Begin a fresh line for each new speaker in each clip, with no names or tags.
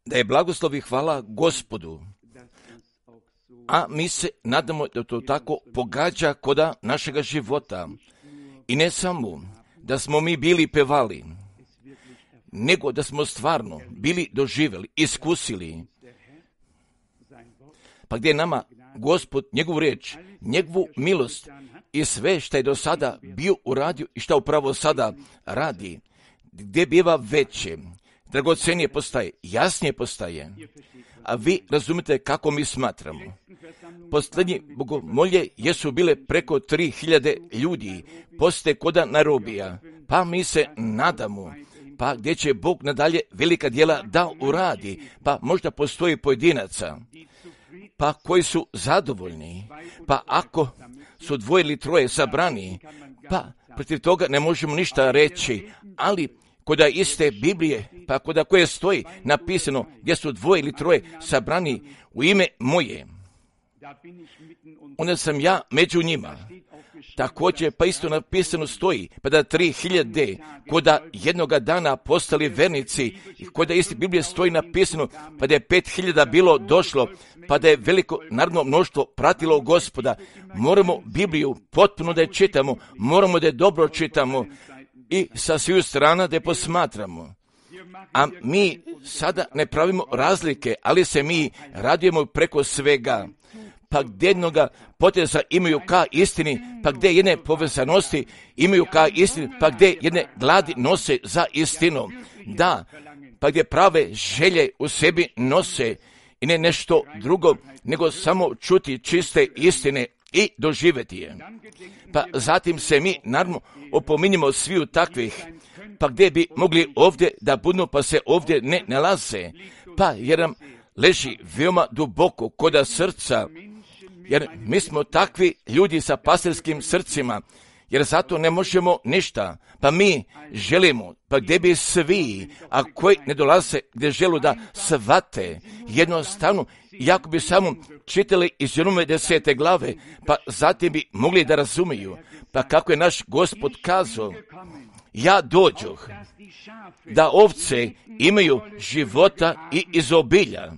da je blagoslov i hvala Gospodu. A mi se nadamo da to tako pogađa koda našega života. I ne samo da smo mi bili pevali, nego da smo stvarno bili doživjeli, iskusili. Pa gdje je nama Gospod, njegovu riječ, njegovu milost i sve što je do sada bio uradio i što upravo sada radi, gdje biva veće, dragocenije postaje, jasnije postaje. A vi razumite kako mi smatramo. Posljednji bogomolje jesu bile preko 3000 ljudi, poste koda Nairobija, pa mi se nadamo, pa gdje će Bog nadalje velika djela da uradi, pa možda postoji pojedinaca, pa koji su zadovoljni, pa ako su 2 ili 3 sabrani, pa protiv toga ne možemo ništa reći, ali koda iste Biblije, pa koda koje stoji napisano gdje su 2 ili 3 sabrani u ime moje, onda sam ja među njima. Također, pa isto napisano stoji, pa da 3000 koda jednoga dana postali vernici, i koda isti Biblije stoji napisano, pa da je 5000 bilo došlo, pa da je veliko narodno mnoštvo pratilo Gospoda. Moramo Bibliju potpuno da je čitamo, moramo da je dobro čitamo i sa sviju strana da je posmatramo. A mi sada ne pravimo razlike, ali se mi radujemo preko svega. Pa gdje jednoga poteza imaju ka istini, pa gdje jedne povezanosti imaju ka istini, pa gdje jedne gladi nose za istinom. Da, pa gdje prave želje u sebi nose i ne nešto drugo, nego samo čuti čiste istine i doživjeti je. Pa zatim se mi naravno opominjemo sviju takvih, pa gdje bi mogli ovdje da budu, pa se ovdje ne nalaze, pa jer nam leži veoma duboko koda srca, jer mi smo takvi ljudi sa pastirskim srcima, jer zato ne možemo ništa, pa mi želimo, pa gdje bi svi, a koji ne dolaze gdje želu da shvate, jednostavno, jako bi samo čitali iz Jonove 10. glave, pa zatim bi mogli da razumiju, pa kako je naš Gospod kazao, ja dođoh da ovce imaju života i izobilja.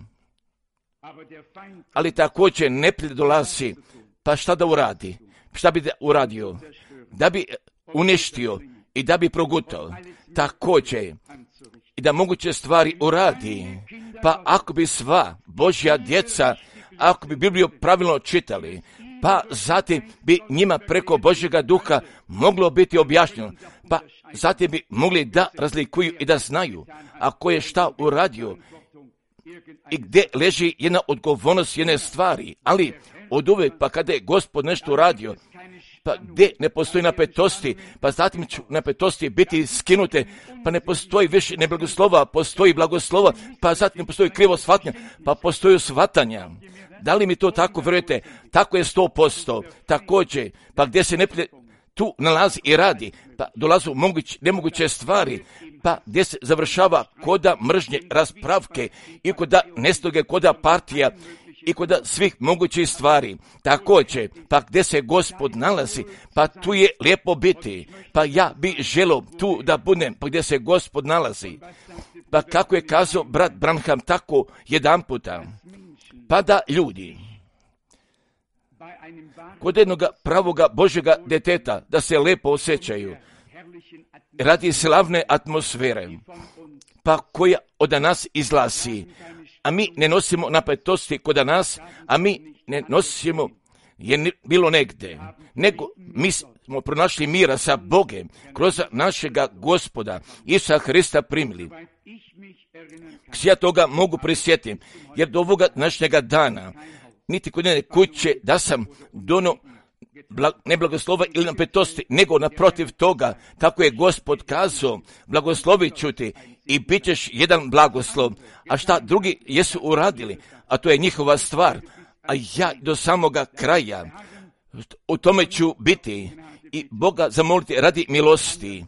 Ali također neprijatelj dolazi, pa šta da uradi? Šta bi da uradio? Da bi uništio i da bi progutao. Također i da moguće stvari uradi. Pa ako bi sva Božja djeca, ako bi Bibliju pravilno čitali, pa zatim bi njima preko Božjega duha moglo biti objašnjeno, pa zatim bi mogli da razlikuju i da znaju ako je šta uradio i gdje leži jedna odgovornost jedne stvari, ali od uvijek, pa kada je Gospod nešto uradio, pa gdje ne postoji napetosti, pa zatim će napetosti biti skinute, pa ne postoji više neblagoslova, postoji blagoslova, pa zatim ne postoji krivo shvatanja, pa postoji shvatanja. Da li mi to tako vjerujete? Tako je 100%. Također, pa gdje se ne tu nalazi i radi, pa dolazu nemoguće stvari, pa gdje se završava koda mržnje, raspravke i koda nestoge, koda partija i koda svih mogućih stvari. Također, pa gdje se Gospod nalazi, pa tu je lijepo biti, pa ja bi želio tu da budem, pa gdje se Gospod nalazi. Pa kako je kazao brat Branham tako jedan puta, pa da ljudi kod jednog pravoga Božjega deteta da se lijepo osjećaju radi slavne atmosfere, pa koja od nas izlazi, a mi ne nosimo napetosti kod nas, a mi ne nosimo je bilo negdje, nego mi smo pronašli mira sa Bogem kroz našega Gospoda Isusa Hrista primili. Ja toga mogu prisjetiti, jer do ovoga današnjega dana niti kod jedne kuće da sam dono ne blagoslova ili napetosti, nego naprotiv toga, tako je Gospod kazao, blagoslovit ću ti i bit ćeš jedan blagoslov, a šta drugi jesu uradili, a to je njihova stvar, a ja do samoga kraja u tome ću biti i Boga zamoliti radi milosti,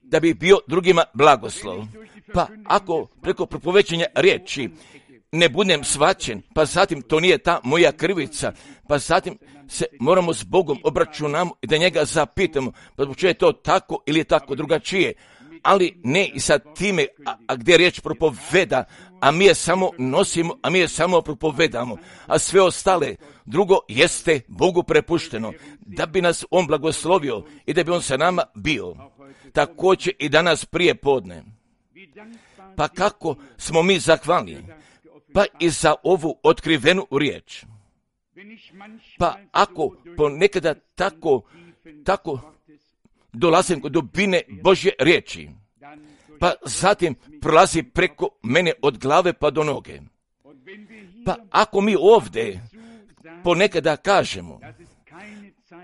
da bi bio drugima blagoslov. Pa ako preko propovećanja riječi ne budem svaćen, pa zatim to nije ta moja krivica, pa zatim se moramo s Bogom obračunamo i da njega zapitamo, pa zbog čega je to tako ili je tako drugačije. ali ne i sa time, a gdje riječ propoveda, a mi je samo nosimo, a mi je samo propovedamo, a sve ostale drugo jeste Bogu prepušteno, da bi nas On blagoslovio i da bi On sa nama bio. Također i danas prije podne. Pa kako smo mi zahvalni? Pa i za ovu otkrivenu riječ. Pa ako ponekada tako dolazim kod dubine Božje riječi, pa zatim prolazi preko mene od glave pa do noge. Pa ako mi ovdje ponekada kažemo,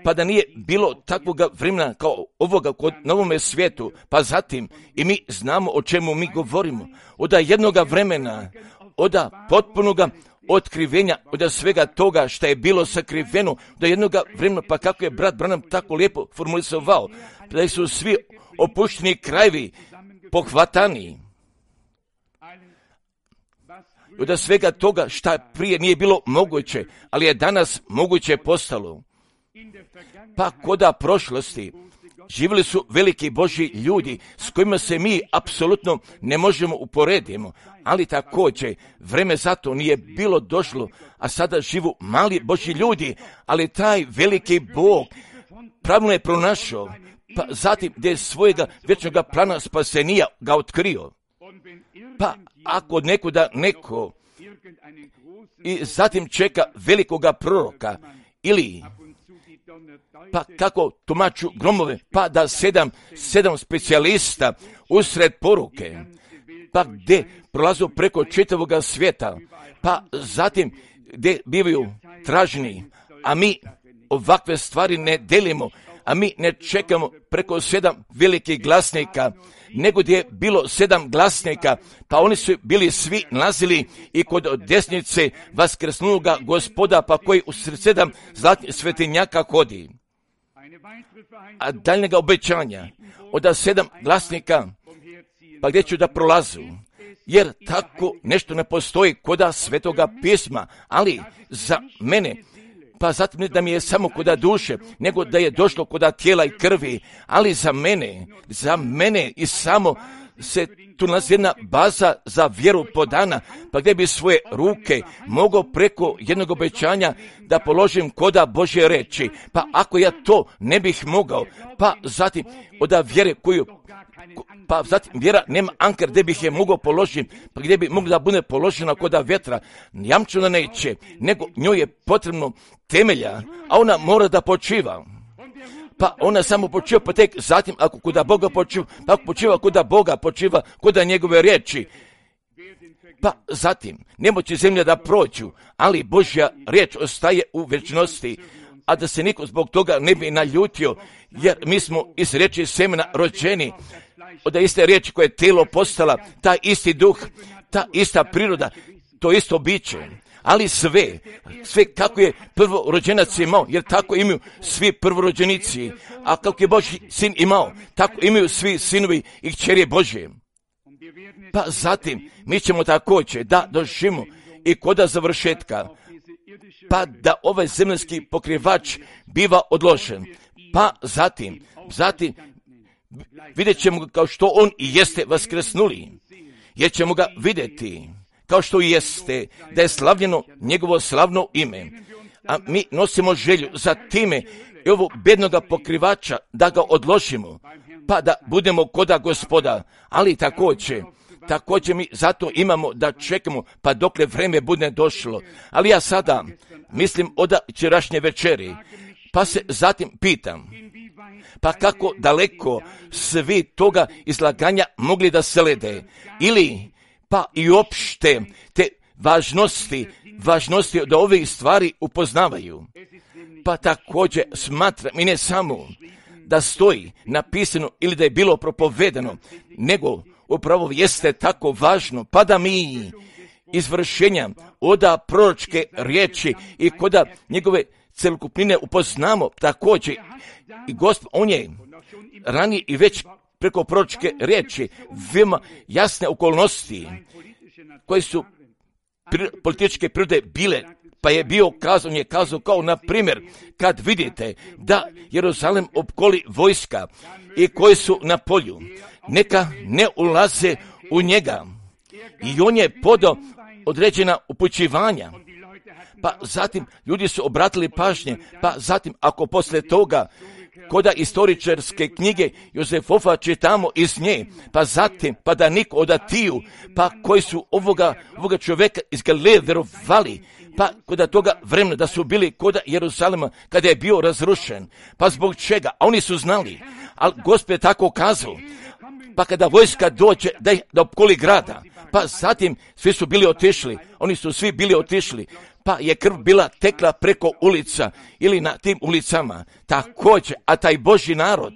pa da nije bilo takvog vremena kao ovoga na ovome svijetu, pa zatim i mi znamo o čemu mi govorimo, od jednoga vremena, od potpunoga otkrivenja, od svega toga što je bilo sakriveno, do jednoga vremena, pa kako je brat Branham tako lijepo formulisovao, da su svi opušteni krajevi pohvatani. Od svega toga što prije nije bilo moguće, ali je danas moguće postalo. Pa koda prošlosti živjeli su veliki Božji ljudi s kojima se mi apsolutno ne možemo uporediti, ali također vreme zato nije bilo došlo, a sada živu mali Božji ljudi, ali taj veliki Bog pravilno je pronašao, pa zatim gdje je svojega vječnoga plana spasenija ga otkrio. Pa ako nekuda neko i zatim čeka velikoga proroka ili pa kako tumaču gromove, pa da sedam specijalista usred poruke, pa gdje prolazu preko čitavoga svijeta, pa zatim gdje bivaju traženi, a mi ovakve stvari ne delimo, a mi ne čekamo preko 7 velikih glasnika, nego gdje je bilo 7 glasnika, pa oni su bili svi nalazili i kod desnice vaskrsnuloga Gospoda, pa koji u 7 zlatnih svetinjaka hodi. A daljnjega obećanja od 7 glasnika, pa gdje ću da prolazu, jer tako nešto ne postoji koda Svetoga pisma, ali za mene, pa zatim ne da mi je samo koda duše, nego da je došlo koda tijela i krvi, ali za mene i samo se tu nalazi jedna baza za vjeru podana, pa gdje bi svoje ruke mogao preko jednog obećanja da položim koda Božje reči, pa ako ja to ne bih mogao, pa zatim od vjere koju, pa zatim vjera nema anker gdje bih je mogao položiti, pa gdje bi mogla da bude položena koda vjetra, jamču da neće, nego njoj je potrebno temelja, a ona mora da počiva. Pa ona samo počiva, pa tek zatim ako kuda Boga počiva, pa ako počiva kuda Boga počiva, kuda njegove riječi. Pa zatim, ne moće zemlja da prođu, ali Božja riječ ostaje u vječnosti, a da se niko zbog toga ne bi naljutio, jer mi smo iz riječi semena rođeni, od iste riječi koje je tijelo postala, taj isti duh, ta ista priroda, to isto biće. Ali sve kako je prvorođenac imao, jer tako imaju svi prvorođenici, a kako je Božji sin imao, tako imaju svi sinovi i kćeri Božje. Pa zatim mi ćemo također da doživimo i koda završetka, pa da ovaj zemaljski pokrivač biva odložen. Pa zatim vidjet ćemo ga kao što on i jeste vaskrsnuli, jer ćemo ga vidjeti kao što jeste, da je slavljeno njegovo slavno ime. A mi nosimo želju za time i ovog bednoga pokrivača da ga odložimo, pa da budemo koda Gospoda, ali također mi zato imamo da čekamo, pa dokle vreme bude došlo. Ali ja sada mislim od večerašnje večeri, pa se zatim pitam, pa kako daleko svi toga izlaganja mogli da slede, ili pa i uopšte te važnosti da ovih stvari upoznavaju. Pa također smatram i ne samo da stoji napisano ili da je bilo propovedano, nego upravo jeste tako važno, pa da mi izvršenja oda proročke riječi i koda njegove celokupnine upoznamo također. I Gospod, on je ranije i već preko proročke riječi veoma jasne okolnosti koje su političke prirode bile, pa je on je kazao kao na primjer kad vidite da Jeruzalem opkoli vojska i koji su na polju, neka ne ulaze u njega. I on je podao određena upućivanja. Pa zatim ljudi su obratili pažnje, pa zatim ako poslije toga koda istoričarske knjige Jozefofa čitamo iz nje, pa zatim pa da niko od Atiju, pa koji su ovoga čovjeka iz Galileje vjerovali, pa kod toga vremena da su bili kod Jeruzalema kada je bio razrušen. Pa zbog čega? A oni su znali, ali Gospod je tako kazao. Pa kada vojska dođe da opkoli grada, pa zatim svi su bili otišli, oni su svi bili otišli, pa je krv bila tekla preko ulica ili na tim ulicama. Također, a taj Božji narod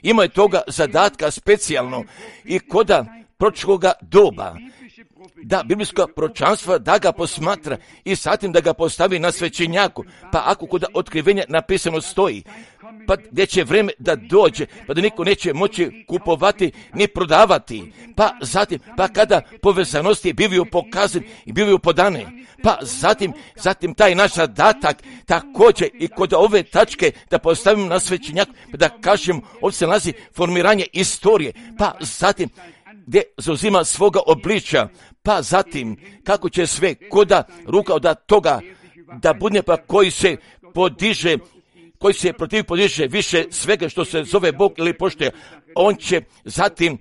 imao je toga zadatka specijalno i koda proročkoga doba, da biblijsko proročanstvo da ga posmatra i zatim da ga postavi na svećenjaku. Pa ako kod otkrivenja napisano stoji, pa gdje će vreme da dođe, pa da niko neće moći kupovati ni prodavati, pa zatim, pa kada povezanosti bivaju pokazane i bivaju podane, pa zatim taj naš zadatak također i kod ove tačke da postavimo na svećenjaku, pa da kažem, ovdje se nalazi formiranje istorije, pa zatim gdje zauzima svoga obličja, pa zatim kako će sve koda ruka od toga da bude pa koji se podiže, koji se protiv podiže više svega što se zove Bog ili poštoje, on će zatim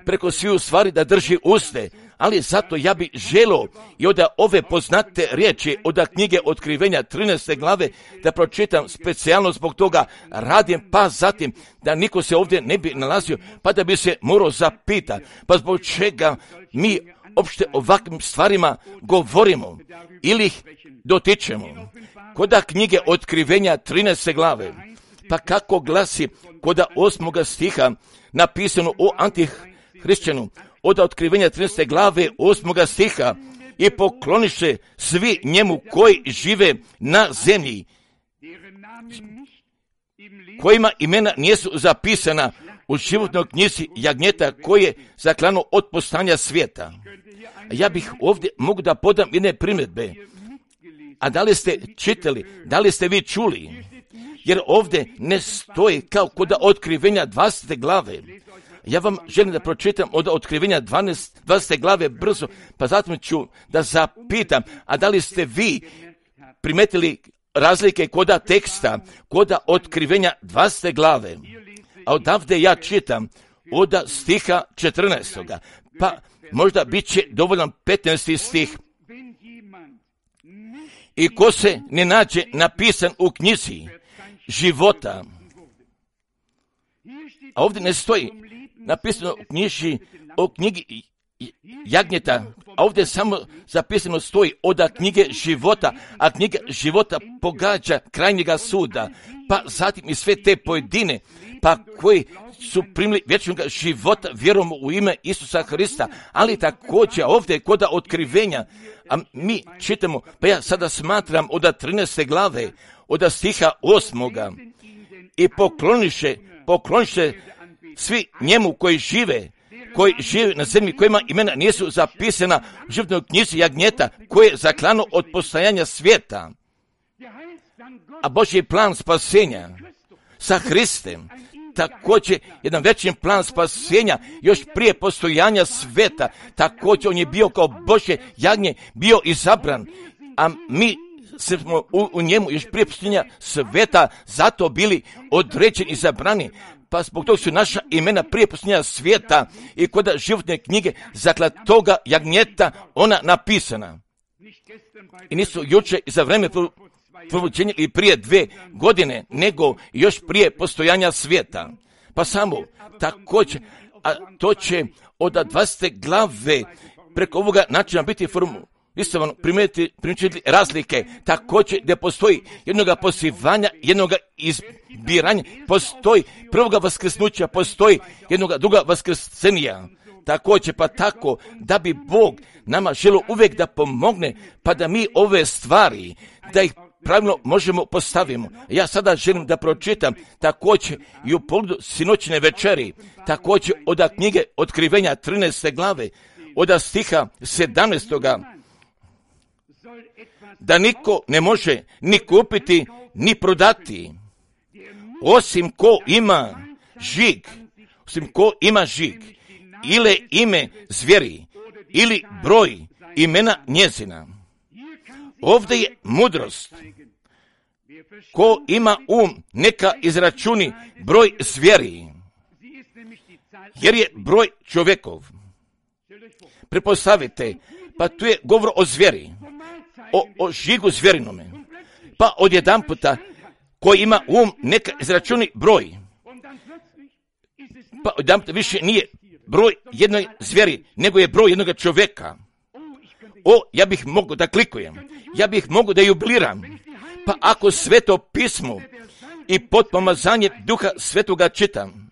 preko sviju stvari da drži uste. Ali zato ja bi želio i od ove poznate riječi od knjige Otkrivenja 13. glave da pročitam specijalno zbog toga radim, pa zatim da niko se ovdje ne bi nalazio, pa da bi se morao zapitati, pa zbog čega mi opšte ovakvim stvarima govorimo ili ih dotičemo. Koda knjige Otkrivenja 13. glave, pa kako glasi koda 8. stiha napisano o antihrišćanu, od Otkrivenja 13. glave 8. stiha, i pokloniše svi njemu koji žive na zemlji, kojima imena nisu zapisana u životnoj knjizi jagnjeta koje zaklano od postanja svijeta. Ja bih ovdje mogu da podam jedne primjedbe. A da li ste čitali, da li ste vi čuli? Jer ovdje ne stoji kao kod Otkrivenja 20. glave. Ja vam želim da pročitam od Otkrivenja 20. glave brzo, pa zatim ću da zapitam, a da li ste vi primetili razlike koda teksta, koda Otkrivenja 20. glave? A odavde ja čitam od stiha 14. Pa možda bit će dovoljan 15. stih. I ko se ne nađe napisan u knjizi života, a ovdje ne stoji napisano o knjigi jagnjeta, a ovdje samo zapisano stoji od knjige života, a knjiga života pogađa krajnjega suda, pa zatim i sve te pojedine, pa koji su primili vječnog života vjerom u ime Isusa Hrista, ali također ovdje kod otkrivenja, a mi čitamo, pa ja sada smatram od 13. glave, od stiha 8. I pokloniše svi njemu koji žive na zemlji, kojima imena nisu zapisana u životnoj knjizi jagnjeta, koje je zaklano od postojanja svijeta. A Božji plan spasenja sa Hristem, također jedan veći plan spasenja još prije postojanja svijeta, također on je bio kao Božje jagnje, bio izabran, a mi smo u njemu još prije postojanja svijeta zato bili određeni i izabrani. Pa zbog toga su naša imena prije postojanja svijeta i kod životne knjige zaklatoga jagnjeta ona napisana. I nisu jučer i za vreme provođenja i prije 2 godine, nego još prije postojanja svijeta. Pa samo također, a to će od 20. glave preko ovoga načina biti isto primijetiti razlike, također gdje postoji jednoga pozivanja, jednoga izbiranja, postoji prvoga vaskrsnuća, postoji jednoga druga vaskrsenija. Također pa tako da bi Bog nama želio uvijek da pomogne, pa da mi ove stvari, da ih pravilno možemo postavimo. Ja sada želim da pročitam također i u pogledu sinoćne večeri, također od knjige Otkrivenja 13. glave, od stiha 17. Da niko ne može ni kupiti, ni prodati, osim ko ima žig u ko ima žig, ili ime zvijeri, ili broj imena njezina. Ovdje je mudrost. Ko ima neka izračuni broj zvijeri, jer je broj čovjekov. Pretpostavite, pa tu je govor o zvijeri, o žigu zvjerinome. Pa odjedanputa, ko ima neka izračuni broj, pa odjedanputa više nije broj jednoj zvijeri, nego je broj jednog čovjeka. Ja bih mogao da klikujem, ja bih mogao da jubiliram. Pa ako Sveto pismo i pod pomazanje Duha Svetoga čitam,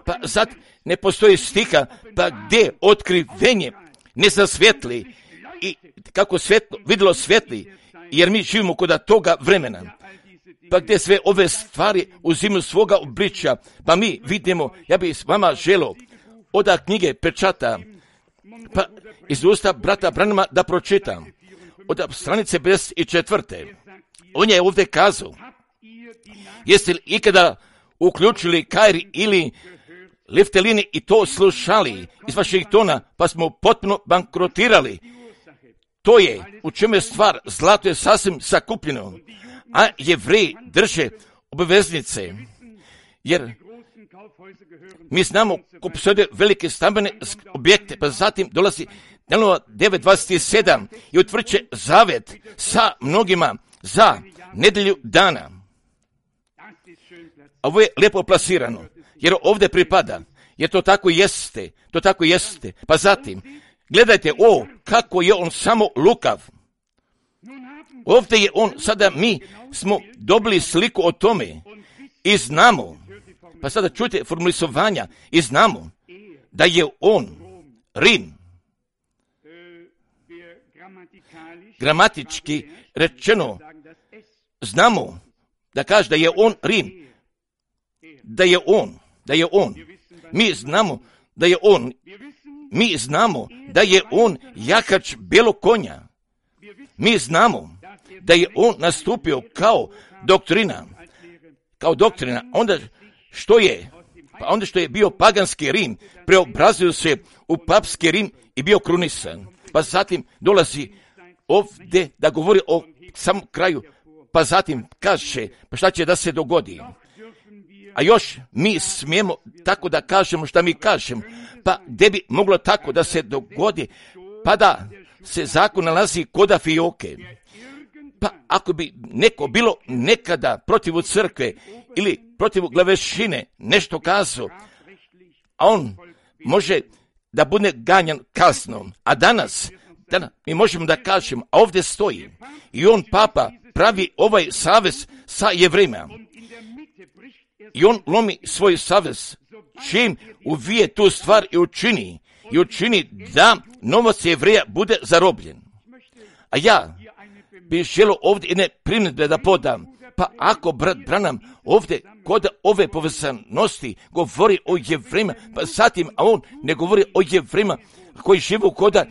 pa sad ne postoji stiha, pa gdje otkrivenje ne zasvjetli i kako svetlo vidjelo svetli, jer mi živimo kod toga vremena. Pa gdje sve ove stvari uzimaju svoga obličja, pa mi vidimo, ja bih s vama želio od knjige pečata, pa iz usta brata Branhama da pročitam, od stranice 54. On je ovdje kazao, jeste li ikada uključili Kairi ili Liftelini i to slušali iz vaših tona, pa smo potpuno bankrotirali. To je u čemu je stvar, zlato je sasvim sakupljeno, a Jevreji drže obaveznice, jer mi znamo ko posjeduje velike stambene objekte, pa zatim dolazi Danielova 9.27 i utvrđuje zavet sa mnogima za nedjelju dana. A ovo je lijepo plasirano, jer ovdje pripada, jer to tako jeste. Pa zatim, gledajte, kako je on samo lukav. Ovdje je on, sada mi smo dobili sliku o tome i znamo, pa sada čujte formulisovanja, i znamo da je on Rim. Gramatički rečeno, znamo da kaže da je on Rim, da je on. Mi znamo da je on jahač belog konja. Mi znamo da je on nastupio kao doktrina. Onda što je? Pa onda što je bio paganski Rim, preobrazio se u papski Rim i bio krunisan. Pa zatim dolazi ovdje da govori o samom kraju, pa zatim kaže, pa šta će da se dogodi? A još mi smijemo tako da kažemo šta mi kažemo, pa gdje bi moglo tako da se dogodi, pa da se zakon nalazi koda fioke. Pa ako bi neko bilo nekada protiv crkve ili protiv glavešine nešto kazao, a on može da bude ganjan kaznom, a danas mi možemo da kažemo, a ovdje stoji i on papa pravi ovaj savez sa Jevrejima. I on lomi svoj savez, čim uvije tu stvar i učini da novac Jevreja bude zarobljen. A ja bih želio ovdje jedne primjedbe da podam, pa ako brat Branham ovdje kod ove povezanosti govori o Jevrejima, pa zatim, a on ne govori o Jevrejima koji žive koda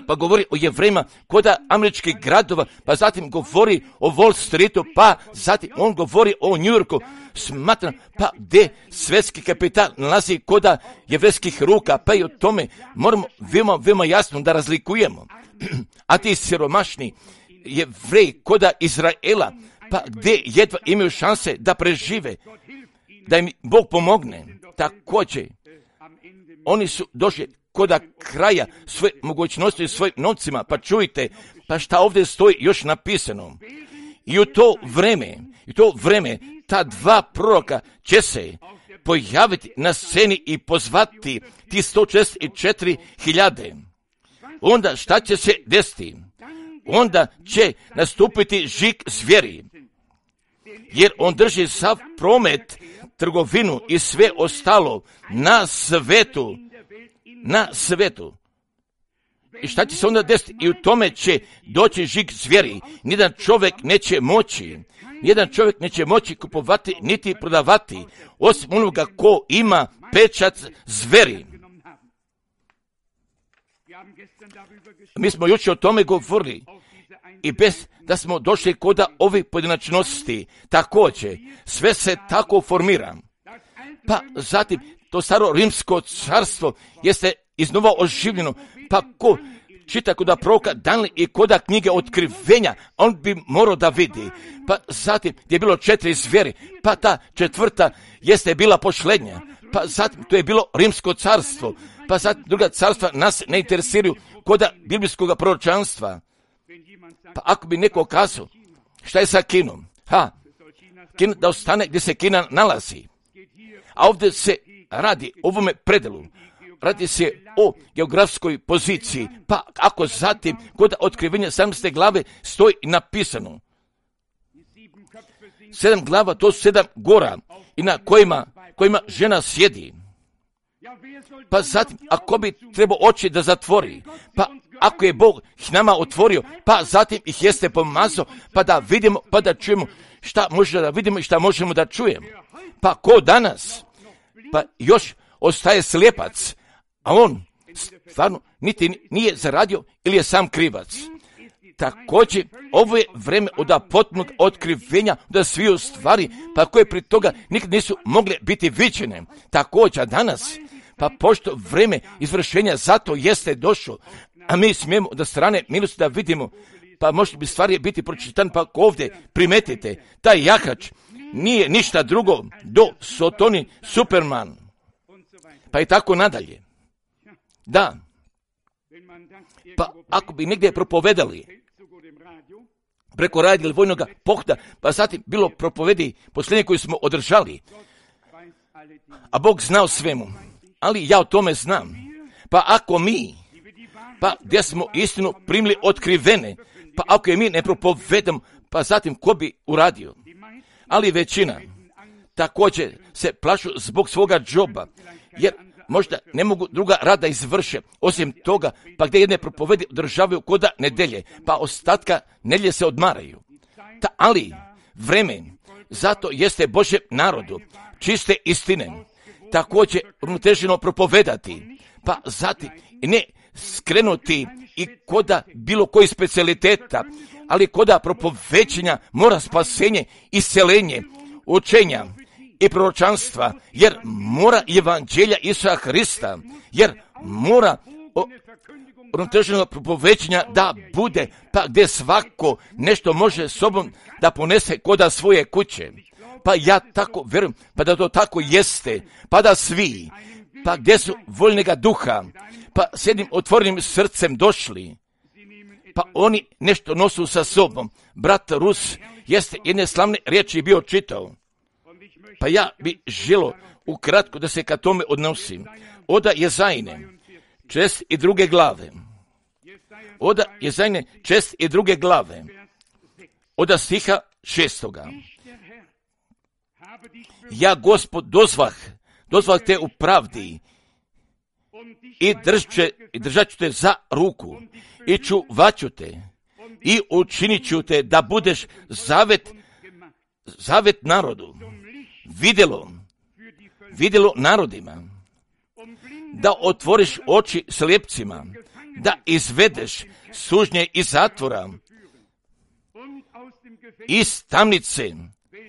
pa govori o Jevrejima koda američkih gradova, pa zatim govori o Wall Streetu, pa zatim on govori o New Yorku, smatram, pa gdje svjetski kapital nalazi koda jevrejskih ruka, pa i o tome moramo veoma jasno da razlikujemo. A ti siromašni Jevreji koda Izraela, pa gdje jedva imaju šanse da prežive, da im Bog pomogne, također oni su došli koda kraja svoje mogućnosti svojim novcima, pa čujte, pa šta ovdje stoji još napisano. I u to vreme ta dva proroka će se pojaviti na sceni i pozvati ti 164.000. Onda šta će se desiti? Onda će nastupiti žig zvijeri, jer on drži sav promet, trgovinu i sve ostalo na svetu. I šta će se onda desiti? I u tome će doći žig zvijeri. Nijedan čovjek neće moći kupovati niti prodavati, osim onoga ko ima pečat zvijeri. Mi smo jučer o tome govorili i bez da smo došli koda ovih pojedinačnosti, također sve se tako formira. Pa zatim to staro rimsko carstvo jeste iznova oživljeno. Pa ko čita koda proroka Danijela i koda knjige otkrivenja, on bi morao da vidi. Pa zatim gdje je bilo 4 zvijeri, pa ta 4. jeste bila posljednja. Pa zatim to je bilo rimsko carstvo. Pa zatim druga carstva nas ne interesiraju koda biblijskog proročanstva. Pa ako bi neko kazao, šta je sa Kinom? Kina da ostane gdje se Kina nalazi. A ovdje se radi o ovome predelu. Radi se o geografskoj poziciji. Pa ako zatim kod otkrivenja 17. glave stoji napisano 7 glava, to su 7 gora i na kojima žena sjedi. Pa zatim, ako bi trebao oči da zatvori, pa ako je Bog ih nama otvorio, pa zatim ih jeste pomazao, pa da vidimo, pa da čujemo šta možemo da vidimo i šta možemo da čujemo. Pa ko danas? Pa još ostaje slijepac, a on stvarno niti nije zaradio ili je sam krivac. Također, ovo je vreme od potpunog otkrivenja da sviju stvari, pa koje pri toga nikad nisu mogle biti viđene. Također, danas, pa pošto vreme izvršenja zato jeste došlo, a mi smijemo da strane milosti da vidimo, pa možda bi stvari biti pročitan, pa ovdje primetite, taj jahač nije ništa drugo do Sotoni Superman, pa i tako nadalje. Da, pa ako bi negdje propovedali preko radija ili vojnog pohda, pa zatim bilo propovedi posljednje koju smo održali, a Bog zna o svemu, ali ja o tome znam. Pa ako mi, pa gdje smo istinu primili otkrivene, pa ako je mi ne propovedamo, pa zatim ko bi uradio? Ali većina također se plašu zbog svoga džoba, jer možda ne mogu druga rada izvrše, osim toga, pa gdje jedne propovedi održavaju koda nedelje, pa ostatka nedjelje se odmaraju. Ali vreme, zato jeste Božjem narodu, čiste istine, također uravnoteženo propovedati, pa zatim ne skrenuti i koda bilo koji specijaliteta, ali koda propovećenja mora spasenje, isceljenje, učenja i proročanstva, jer mora evanđelja Isusa Hrista, jer mora uravnoteženog propovećenja da bude, pa gdje svako nešto može sobom da ponese koda svoje kuće. Pa ja tako vjerujem, pa da to tako jeste, pa da svi, pa gdje su voljnega duha, pa s jednim otvorenim srcem došli, pa oni nešto nosu sa sobom. Brat Rus jeste jedne slavne riječi bio čitao, pa ja bi želo ukratko da se ka tome odnosim. Oda Jezajne, 42. glave. Oda Jezajne, 42. glave. Oda stiha 6. Ja, Gospod, dozvah te u pravdi i držat ću te za ruku i čuvat ću te i učinit ću te da budeš zavet narodu, vidjelo narodima, da otvoriš oči slijepcima, da izvedeš sužnje iz zatvora,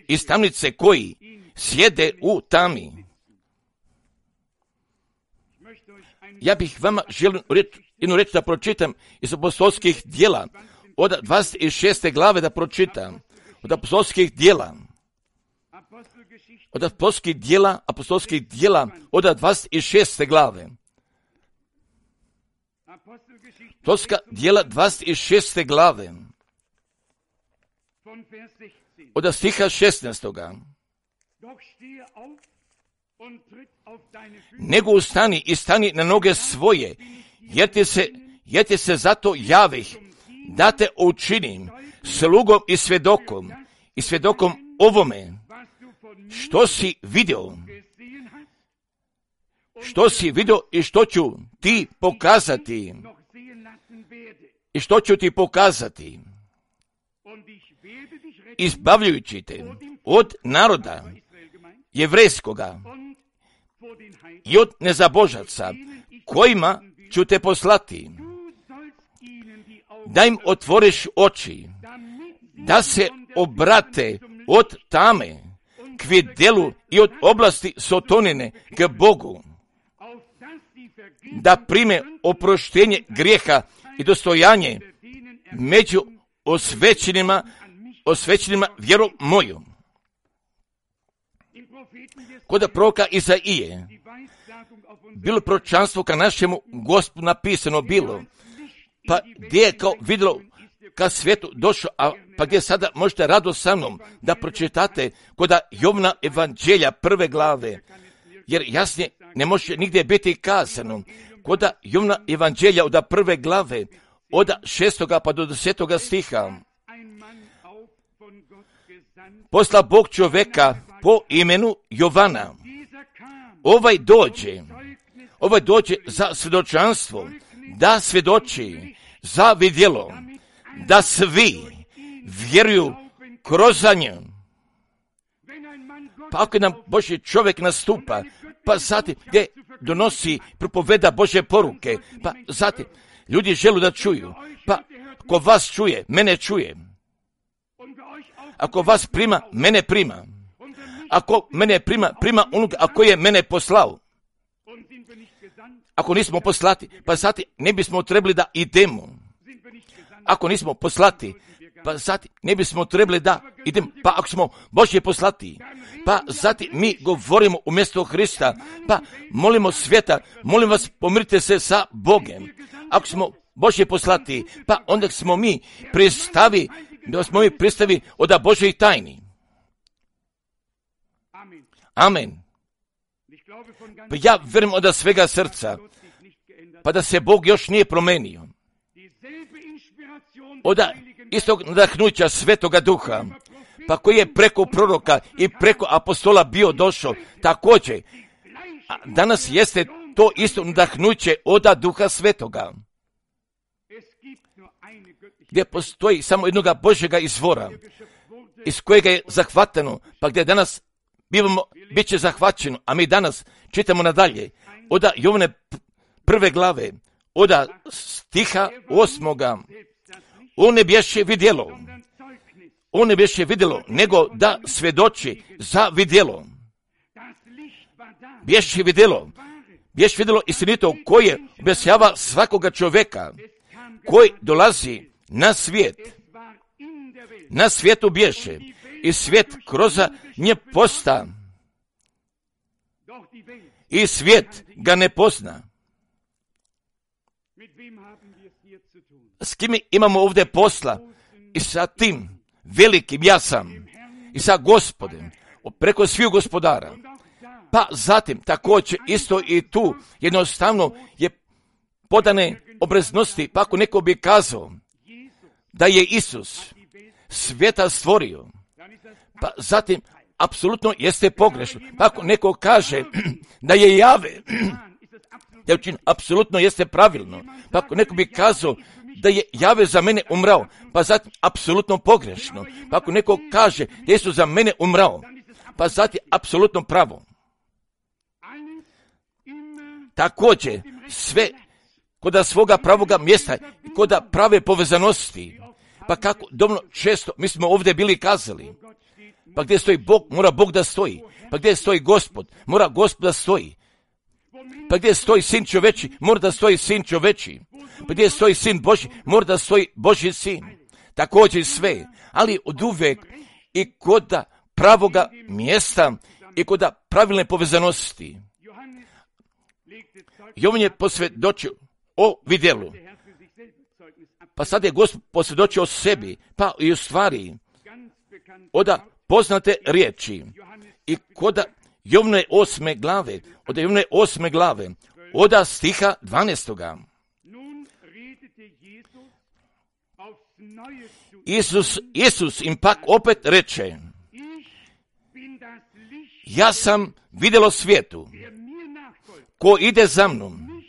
iz tamnice koji sjede u tami. Ja bih vama želio jednu reč da pročitam iz apostolskih djela, od 26. glave da pročitam, od apostolskih djela, od apostolskih djela, od 26. glave. Apostolska djela 26. glave, od stiha 16. Nego ustani i stani na noge svoje, jer ti se zato javih, da te učinim slugom i svjedokom ovome, što si vidio i što ću ti pokazati, izbavljujući te od naroda jevrejskoga i od nezabožaca, kojima ću te poslati, da im otvoriš oči, da se obrate od tame, k vidjelu i od oblasti sotonine k Bogu, da prime oproštenje grijeha i dostojanje među osvećenima vjerom moju. Kod proroka Izaije bilo proročanstvo ka našemu Gospodu napisano bilo, pa gdje je kao vidjelo ka svijetu došao, pa gdje sada možete rado sa mnom da pročitate kod Jovna evanđelja 1. glave, jer jasnije ne može nigdje biti kazano. Kod Jovna evanđelja od 1. glave, od 6. pa do 10. stiha. Posla Bog čovjeka po imenu Jovana. Ovaj dođe za svjedočanstvo, da svjedoči za vidjelo, da svi vjeruju kroz nju. Pa ako nam Božji čovjek nastupa, pa zatim gdje donosi, propoveda Božje poruke, pa zatim ljudi žele da čuju, pa ako vas čuje, mene čuje. Ako vas prima, mene prima. Ako mene prima onoga, ako je mene poslao. Ako nismo poslati, pa zatim ne bismo trebali da idemo. Ako nismo poslati, pa zatim ne bismo trebali da idemo. Pa ako smo Božje poslati, pa zatim mi govorimo umjesto Hrista, pa molimo svijeta, molim vas pomirite se sa Bogom. Ako smo Božje poslati, pa onda smo mi pristavi od Božjih tajni. Amen. Pa ja vjerujem od svega srca, pa da se Bog još nije promenio. Od istog nadahnuća Svetoga Duha, pa koji je preko proroka i preko apostola bio došao, također, danas jeste to isto nadahnuće od Duha Svetoga, gdje postoji samo jednoga Božjega izvora, iz kojega je zahvatano, pa gdje danas bit će zahvaćeno, a mi danas čitamo nadalje, od Jovne 1. glave, od stiha 8. On ne bješe vidjelo, nego da svjedoči za vidjelo. Bješe vidjelo istinito koje objašnjava svakoga čovjeka koji dolazi na svijet. Na svijetu bješe i svijet kroz nje posta i svijet ga ne pozna. S kim imamo ovdje posla? I sa tim velikim ja sam i sa Gospodem preko svih gospodara. Pa zatim također isto i tu jednostavno je podane obreznosti, pa ako neko bi kazao da je Isus svijeta stvorio, pa zatim apsolutno jeste pogrešno. Pa ako neko kaže da je Jave, da učin, apsolutno jeste pravilno. Pa ako neko bi kazao da je Jave za mene umrao, pa zatim apsolutno pogrešno. Pa ako neko kaže da je Isus za mene umrao, pa zatim apsolutno pravo. Također sve kod svoga pravoga mjesta i kod prave povezanosti. Pa kako dovoljno često mi smo ovdje bili kazali, pa gdje stoji Bog, mora Bog da stoji. Pa gdje stoji Gospod, mora Gospod da stoji. Pa gdje stoji Sin čoveči, mora da stoji Sin čoveči. Pa gdje stoji Sin Božji, mora da stoji Božji Sin. Također sve, ali od uvijek i kod pravoga mjesta i kod pravilne povezanosti. Jovan je posvjedočio o vidjelu. Pa sad je Gospod posvjedočio o sebi, pa i u stvari od poznate riječi. I kod Jovne 8. glave, od stiha 12. Isus im pak opet reče: ja sam vidjelo svijetu, ko ide za mnom,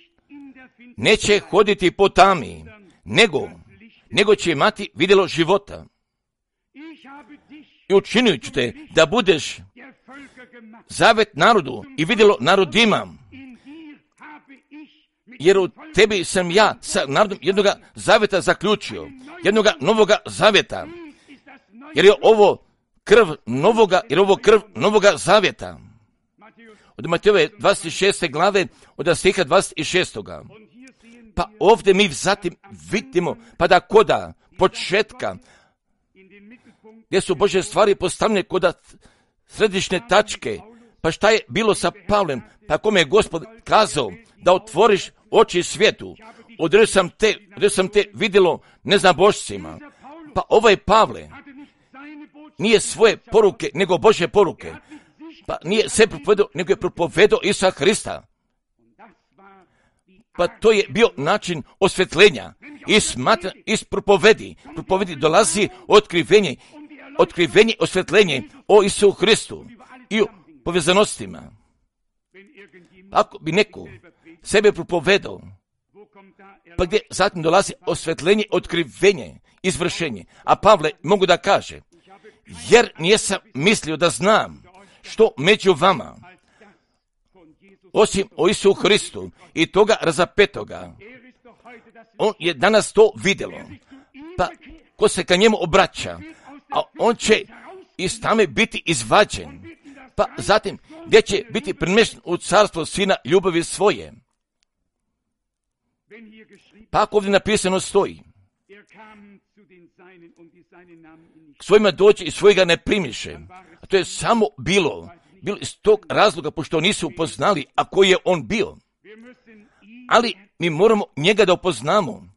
neće hoditi po tami, nego će imati vidjelo života. I učinit ću te da budeš zavet narodu i vidjelo narodima, jer u tebi sam ja sa narodom jednoga zaveta zaključio, jednoga novoga zaveta, jer je ovo krv novoga, jer ovo krv novoga zavjeta. Od Matejove 26. glave, od stiha 26. Pa ovdje mi zatim vidimo, pa da koda početka, gdje su Božje stvari postavljene koda središnje tačke, pa šta je bilo sa Pavlem, pa kome je Gospod kazao da otvoriš oči svijetu, odredio sam te vidjelo neznabošcima. Pa ovaj Pavle nije svoje poruke, nego Božje poruke. Pa nije se propovedao, nego je propovedao Isusa Hrista. Pa to je bio način osvjetljenja. Iz propovedi dolazi otkrivenje, osvjetljenje o Isusu Hristu i o povezanostima. Ako bi neko sebe propovedao, pa gdje zatim dolazi osvjetljenje, otkrivenje, izvršenje. A Pavle mogu da kaže, jer nisam mislio da znam što među vama, osim o Isusu Hristu i toga razapetoga. On je danas to vidjelo. Pa ko se ka njemu obraća, a on će iz tame biti izvađen. Pa zatim gdje će biti premješten u carstvo sina ljubavi svoje. Pa ako ovdje napisano stoji, k svojima doći i svojega ne primiše. A to je samo bilo iz tog razloga, pošto nisu upoznali, a koji je on bio. Ali mi moramo njega da upoznamo.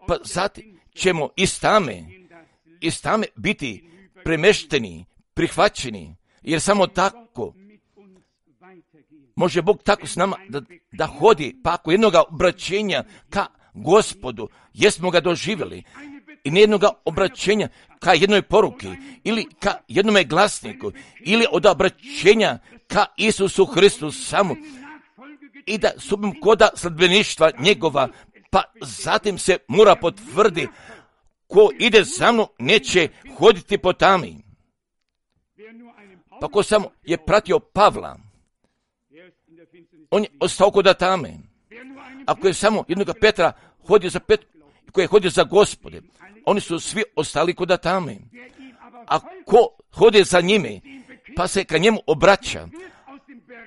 Pa zatim ćemo iz tame biti premešteni, prihvaćeni, jer samo tako može Bog tako s nama da hodi. Pa ako jednoga obraćenja ka Gospodu, jesmo ga doživjeli, i nijednoga obraćenja ka jednoj poruki, ili ka jednome glasniku, ili od obraćenja ka Isusu Hristu samo, i da subim koda sledbeništva njegova, pa zatim se mora potvrdi, ko ide za mnom neće hoditi po tami. Pa ko samo je pratio Pavla, on je ostao koda tame. Ako je samo jednoga Petra hodio za Petru, koji je hodio za Gospode, oni su svi ostali koda tame. A ko hodi za njime, pa se ka njemu obraća,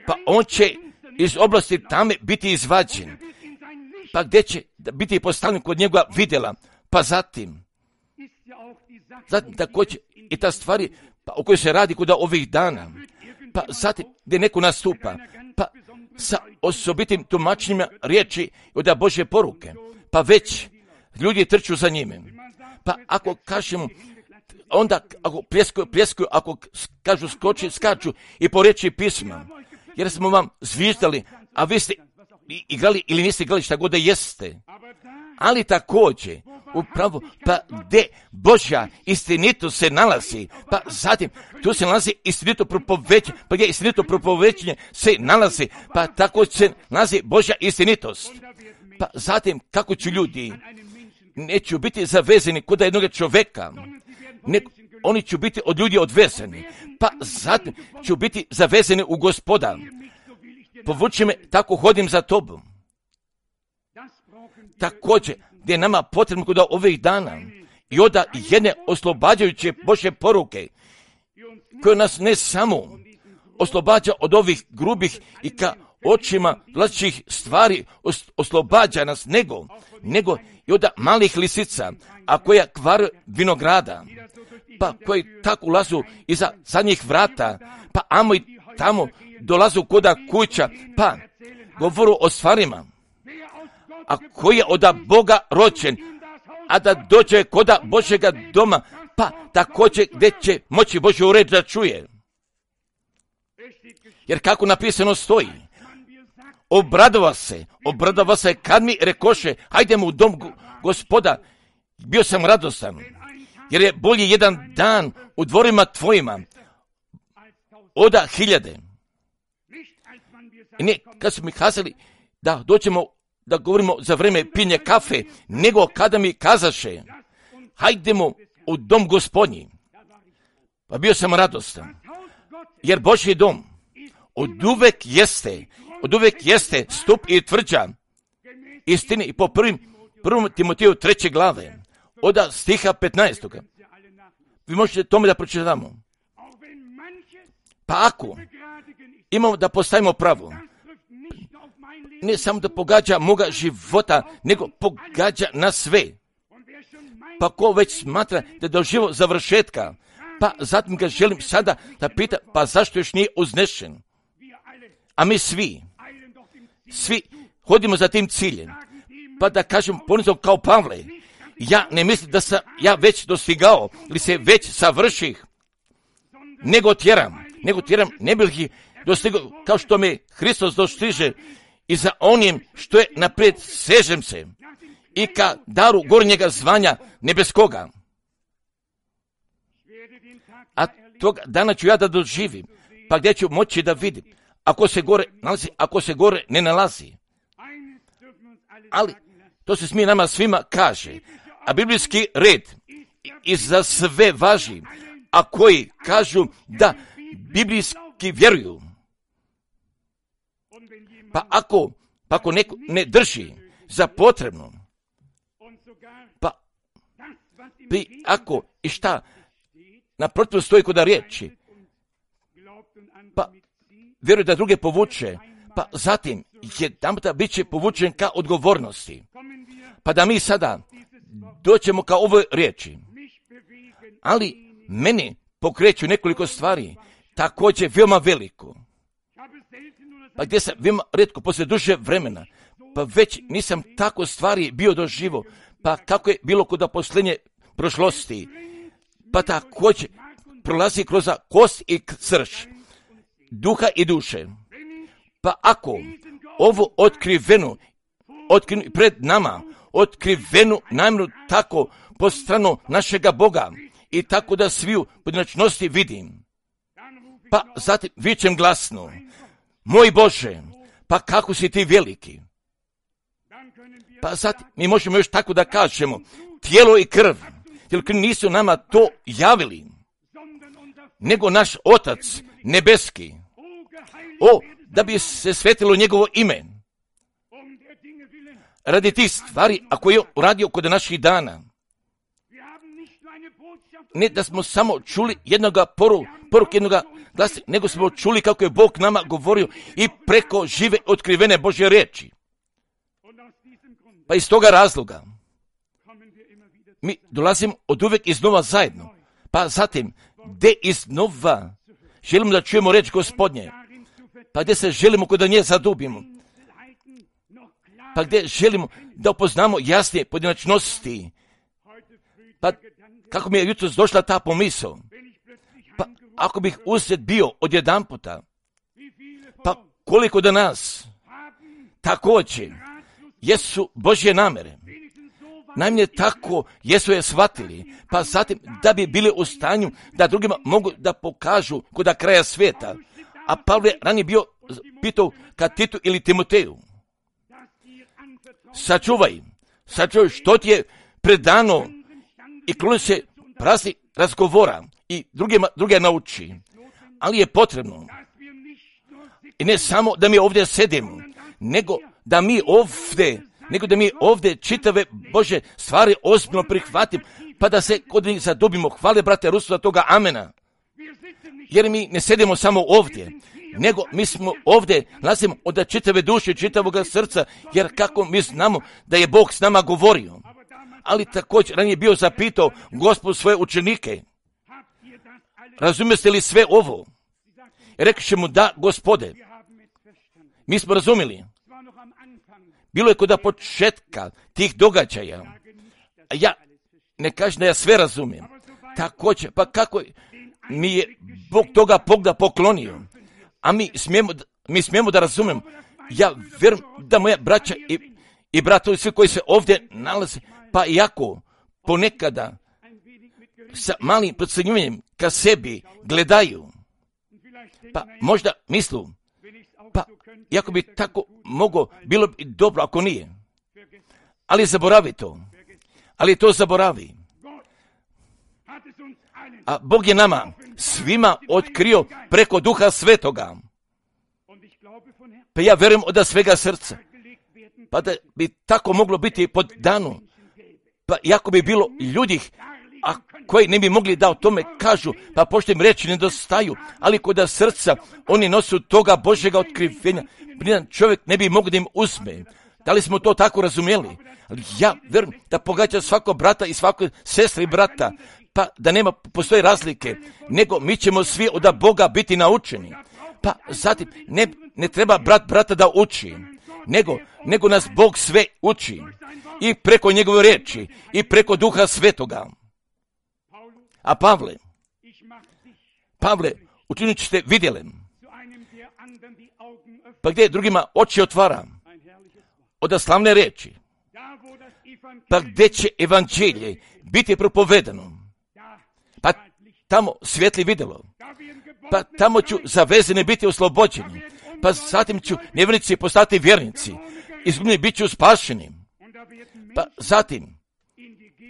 pa on će iz oblasti tame biti izvađen. Pa gdje će biti postavljen kod njega vidjela, pa zatim također i ta stvari pa, o kojoj se radi kod ovih dana, pa zatim gdje neko nastupa, pa sa osobitim tumačenjima riječi od Božje poruke, pa već ljudi trču za njime. Pa ako kažemo, onda ako pljeskuju, ako kažu skaču i po riječi pisma, jer smo vam zviždali, a vi ste igrali ili niste igrali šta god da jeste. Ali također, upravo, pa gdje Božja istinito se nalazi, pa zatim tu se nalazi istinito propovećenje, pa gdje istinito propovećenje se nalazi, pa tako se nalazi Božja istinitost. Pa zatim, kako će ljudi, neću biti zavezani kod jednog čovjeka, oni će biti od ljudi odvezani, pa zatim ću biti zavezani u Gospoda. Povuči me, tako hodim za tobom. Također, gdje je nama potrebno kod ovih dana i oda jedne oslobađajuće Božje poruke, koje nas ne samo oslobađa od ovih grubih i ka očima vlačih stvari oslobađa nas, nego i od malih lisica, a koja kvar vinograda, pa koji tako ulazu iza zadnjih vrata, pa amo i tamo dolazu koda kuća, pa govoru o stvarima, a koji je od Boga rođen, a da dođe koda Božjega doma, pa također gdje će moći Božju reč da čuje. Jer kako napisano stoji, obradova se kad mi rekoše, hajdemo u dom Gospoda, bio sam radostan, jer je bolji jedan dan u dvorima tvojima od 1000. I ne, kad su mi kazali da dođemo da govorimo za vreme pinje kafe, nego kada mi kazaše, hajdemo u dom Gospodnji. Pa bio sam radostan, jer Božji dom od uvek jeste stup i tvrđa istine, i po prvom Timoteju 3. glave, od stiha 15. vi možete tome da pročitamo. Pa ako imamo da postavimo pravo, ne samo da pogađa moga života, nego pogađa na sve. Pa ko već smatra da je doživio završetka, pa zatim ga želim sada da pita, pa zašto još nije uznešen? A mi svi hodimo za tim ciljem. Pa da kažem ponizno kao Pavle, ja ne mislim da sam ja već dostigao ili se već savrših, nego tjeram, ne bih ih dostigao kao što me Hristos dostiže i za onim što je naprijed sežem se i ka daru gornjega zvanja nebeskoga. A tog dana ću ja da doživim, pa gdje ću moći da vidim, ako se gore nalazi, ako se gore ne nalazi. Ali to se smije nama svima kaže, a biblijski red i za sve važi, a koji kažu da biblijski vjeruju. Pa ako neko ne drži za potrebno, ako i šta naprotiv stoji kod riječi, pa vjeruje da druge povuče, pa zatim jedanputa bit će povučen ka odgovornosti. Pa da mi sada doćemo ka ovoj riječi. Ali meni pokreću nekoliko stvari, također veoma veliko. Pa gdje sam veoma retko poslije duže vremena, pa već nisam tako stvari bio doživo, pa kako je bilo kod posljednje prošlosti, pa također prolazi kroz kost i srž, duha i duše. Pa ako ovo otkriveno pred nama, otkrivenu namjeru tako po stranu našega Boga i tako da sviju pojedinačnosti vidim, pa zatim vičem glasno, moj Bože, pa kako si ti veliki. Pa zatim mi možemo još tako da kažemo, tijelo i krv nisu nama to javili, nego naš Otac nebeski. Da bi se svetilo njegovo ime. Radi tih stvari, ako je uradio kod naših dana. Ne da smo samo čuli jednoga poruke jednoga glasa, nego smo čuli kako je Bog nama govorio i preko žive otkrivene Božje riječi. Pa iz toga razloga mi dolazimo od uvijek iznova zajedno. Pa zatim, gdje iznova želimo da čujemo riječ Gospodnje, pa gdje se želimo kod nje zadubimo, pa gdje želimo da upoznamo jasnije pojedinačnosti, pa kako mi je jutros došla ta pomisao, pa ako bih usred bio odjedanputa, pa koliko da nas također jesu Božje namere, najmanje tako jesu je shvatili, pa zatim da bi bili u stanju da drugima mogu da pokažu kod kraja svijeta. A Pavle ranije bio pitao ka Titu ili Timoteju, sačuvaj što ti je predano i kloni se prazni razgovora i druge nauči. Ali je potrebno, i ne samo da mi ovdje sedimo, nego da mi ovdje čitave Bože stvari ozbiljno prihvatimo, pa da se kod njih zadobimo. Hvale, brate Rusu, za toga, amena. Jer mi ne sedimo samo ovdje, nego mi smo ovdje, nalazimo od čitave duše, čitavog srca, jer kako mi znamo da je Bog s nama govorio. Ali također ranije bio zapitao Gospod svoje učenike, razumijete li sve ovo? Rekli mu da, Gospode, mi smo razumjeli. Bilo je kod početka tih događaja, a ja ne kažem da ja sve razumijem. Također, pa kako mi je Bog toga Boga poklonio, a mi smijemo da razumijemo. Ja vjerujem da moja braća i bratovi, svi koji se ovdje nalaze, pa iako ponekada sa malim procjenjivanjem ka sebi gledaju, pa možda mislu, pa iako bi tako moglo, bilo bi dobro ako nije. Ali zaboravi to. Ali to zaboravi. A Bog je nama svima otkrio preko Duha Svetoga. Pa ja vjerujem od svega srca. Pa da bi tako moglo biti pod danu. Pa iako bi bilo ljudi a koji ne bi mogli da o tome kažu, pa pošto im reći nedostaju, ali kod srca oni nosu toga Božjega otkrivenja, nijedan čovjek ne bi mogao da im uzme. Da li smo to tako razumjeli? Ali ja verujem da pogađa svako brata i svako sestra i brata, pa da nema postoje razlike, nego mi ćemo svi od Boga biti naučeni. Pa zatim ne treba brata da uči, nego nas Bog sve uči. I preko njegove riječi, i preko Duha Svetoga. A Pavle, učinit ćete vidjeli. Pa gdje drugima oči otvara? Od slavne riječi. Pa gdje će evanđelje biti propovedano? Pa tamo svjetli vidjelo. Pa tamo ću zavezeni biti oslobođeni. Pa zatim ću nevjernici postati vjernici. Izgubljeni bit ću spašeni. Pa zatim,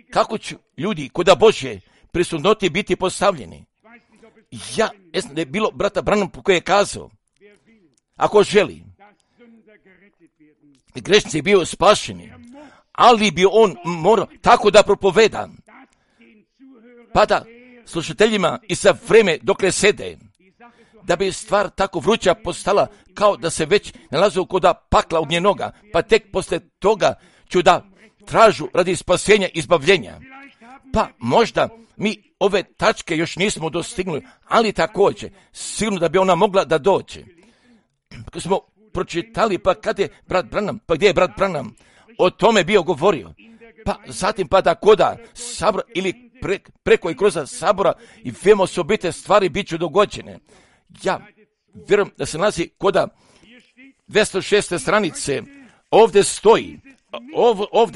kako ću ljudi kod Božje prisutnosti biti postavljeni? Ja ne znam da je bilo brata Branham koji je kazao, ako želi, grešnici je bio spašeni, ali bi on morao tako da propoveda, pa da slušateljima i za vreme dokle sede, da bi stvar tako vruća postala kao da se već nalazu kod pakla ognjenoga, pa tek posle toga ću da tražu radi spasenja i izbavljenja. Pa možda mi ove tačke još nismo dostignuli, ali također sigurno da bi ona mogla da dođe. Kad smo pročitali, pa kad je brat Branham, pa gdje je brat Branham o tome bio govorio, pa zatim pa da koda sabora ili preko i kroz sabora i veoma osobite stvari bit ću dogođene. Ja vjerujem da se nalazi koda 206. stranice, ovdje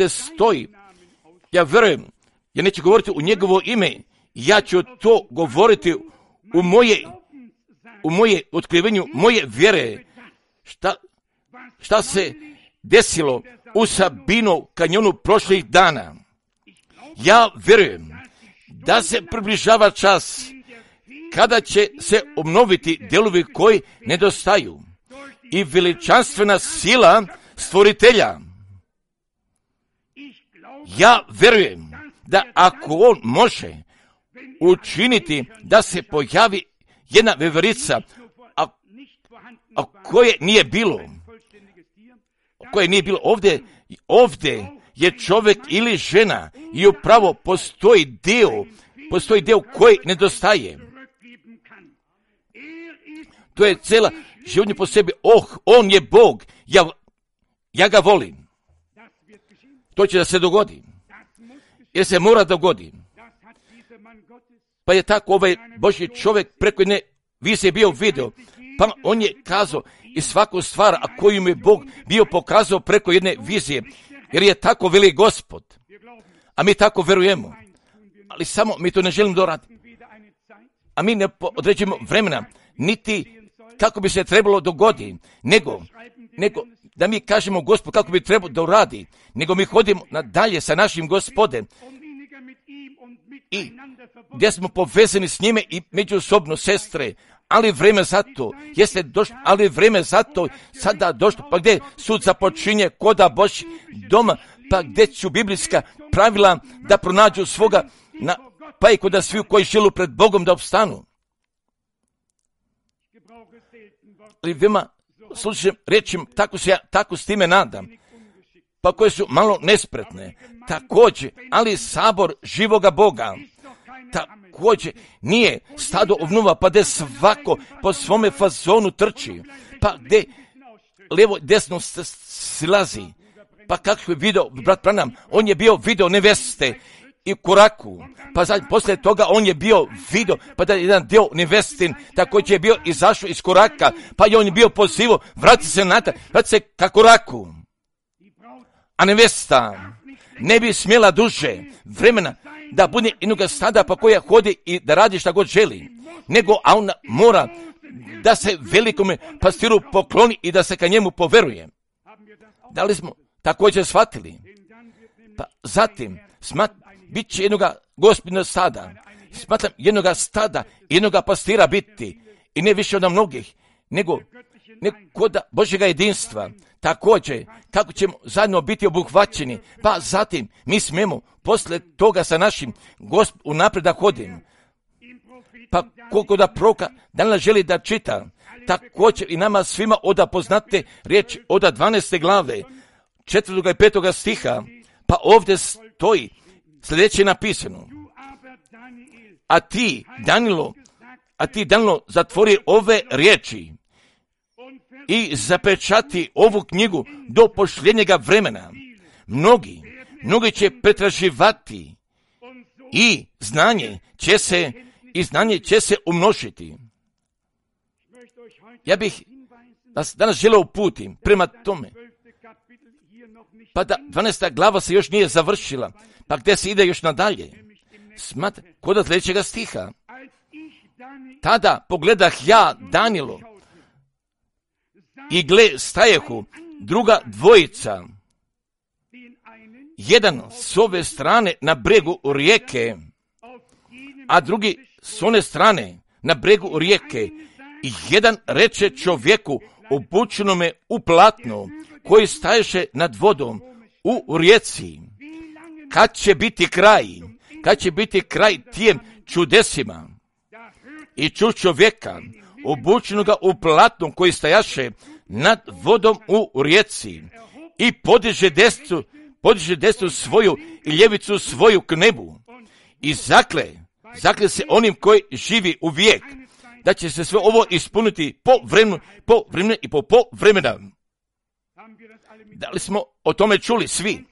stoji, ja vjerujem, ja neću govoriti u njegovo ime, ja ću to govoriti u moje otkrivenju, moje vjere, šta se desilo u Sabino kanjonu prošlih dana. Ja vjerujem da se približava čas kada će se obnoviti delovi koji nedostaju i veličanstvena sila stvoritelja. Ja vjerujem da ako on može učiniti da se pojavi jedna veverica, a koje nije bilo ovdje je čovjek ili žena i upravo postoji dio koji nedostaje. To je cijela životnje po sebi. On je Bog, ja ga volim. To će da se dogodi. Jer se mora dogodi. Pa je tako ovaj Božji čovjek preko jedne vizije bio video. Pa on je kazao i svaku stvar, a koju mu je Bog bio pokazao preko jedne vizije. Jer je tako veli Gospod. A mi tako verujemo. Ali samo mi to ne želimo doraditi. A mi ne određujemo vremena, niti kako bi se trebalo dogoditi, nego da mi kažemo Gospod kako bi trebalo da uradi, nego mi hodimo nadalje sa našim Gospodem i gdje smo povezani s njime i međusobno sestre, ali vreme za to jeste došlo, ali vreme za to sada došlo, pa gdje sud započinje koda Božji doma, pa gdje ću biblijska pravila da pronađu svoga, pa i koda svi koji žele pred Bogom da opstanu. Ali veoma slušam rečim, tako s time nadam, pa koje su malo nespretne, također, ali sabor živoga Boga, također nije stado ovnuva, pa gdje svako po svome fazonu trči, pa gdje levo desno silazi, pa kako je video brat Branham, on je bio video neveste i u koraku, pa poslije toga on je bio video, pa da je jedan dio nevestin, također je bio izašao iz koraka, pa je on bio pozivao, vrati se natrag, vrati se ka koraku. A nevesta ne bi smjela duže vremena da bude jednoga stada pa koja hodi i da radi šta god želi, nego a ona mora da se velikome pastiru pokloni i da se ka njemu poveruje. Da li smo također shvatili? Pa zatim bit će jednoga gospodina stada. Smatram jednoga stada, jednoga pastira biti i ne više od mnogih, nego kod Božjega jedinstva. Također, kako ćemo zajedno biti obuhvaćeni, pa zatim mi smemo posle toga sa našim unaprijed da hodimo. Pa koliko da proroka danas želi da čita, također i nama svima oda poznate riječ od 12. glave, 4. i 5. stiha, pa ovdje stoji sljedeće napisano. A ti, Danilo, zatvori ove riječi i zapečati ovu knjigu do pošljenjega vremena. Mnogi će pretraživati i znanje će se umnožiti. Ja bih vas danas želeo uputim prema tome. Pa da 12. glava se još nije završila, pa gdje se ide još nadalje? Kod sljedećega stiha. Tada pogledah ja, Danilo, i gle stajehu druga dvojica, jedan s ove strane na bregu rijeke, a drugi s one strane na bregu rijeke. I jedan reče čovjeku obučenome u platno, koji staješe nad vodom u rijeci, kad će biti kraj tijem čudesima? I ču čovjeka obučenoga u platnom, koji stajaše nad vodom u rijeci, i podiže desnu svoju i ljevicu svoju k nebu, i zakle se onim koji živi u vijek, da će se sve ovo ispuniti po vremenu i po vremena. Da li smo o tome čuli svi?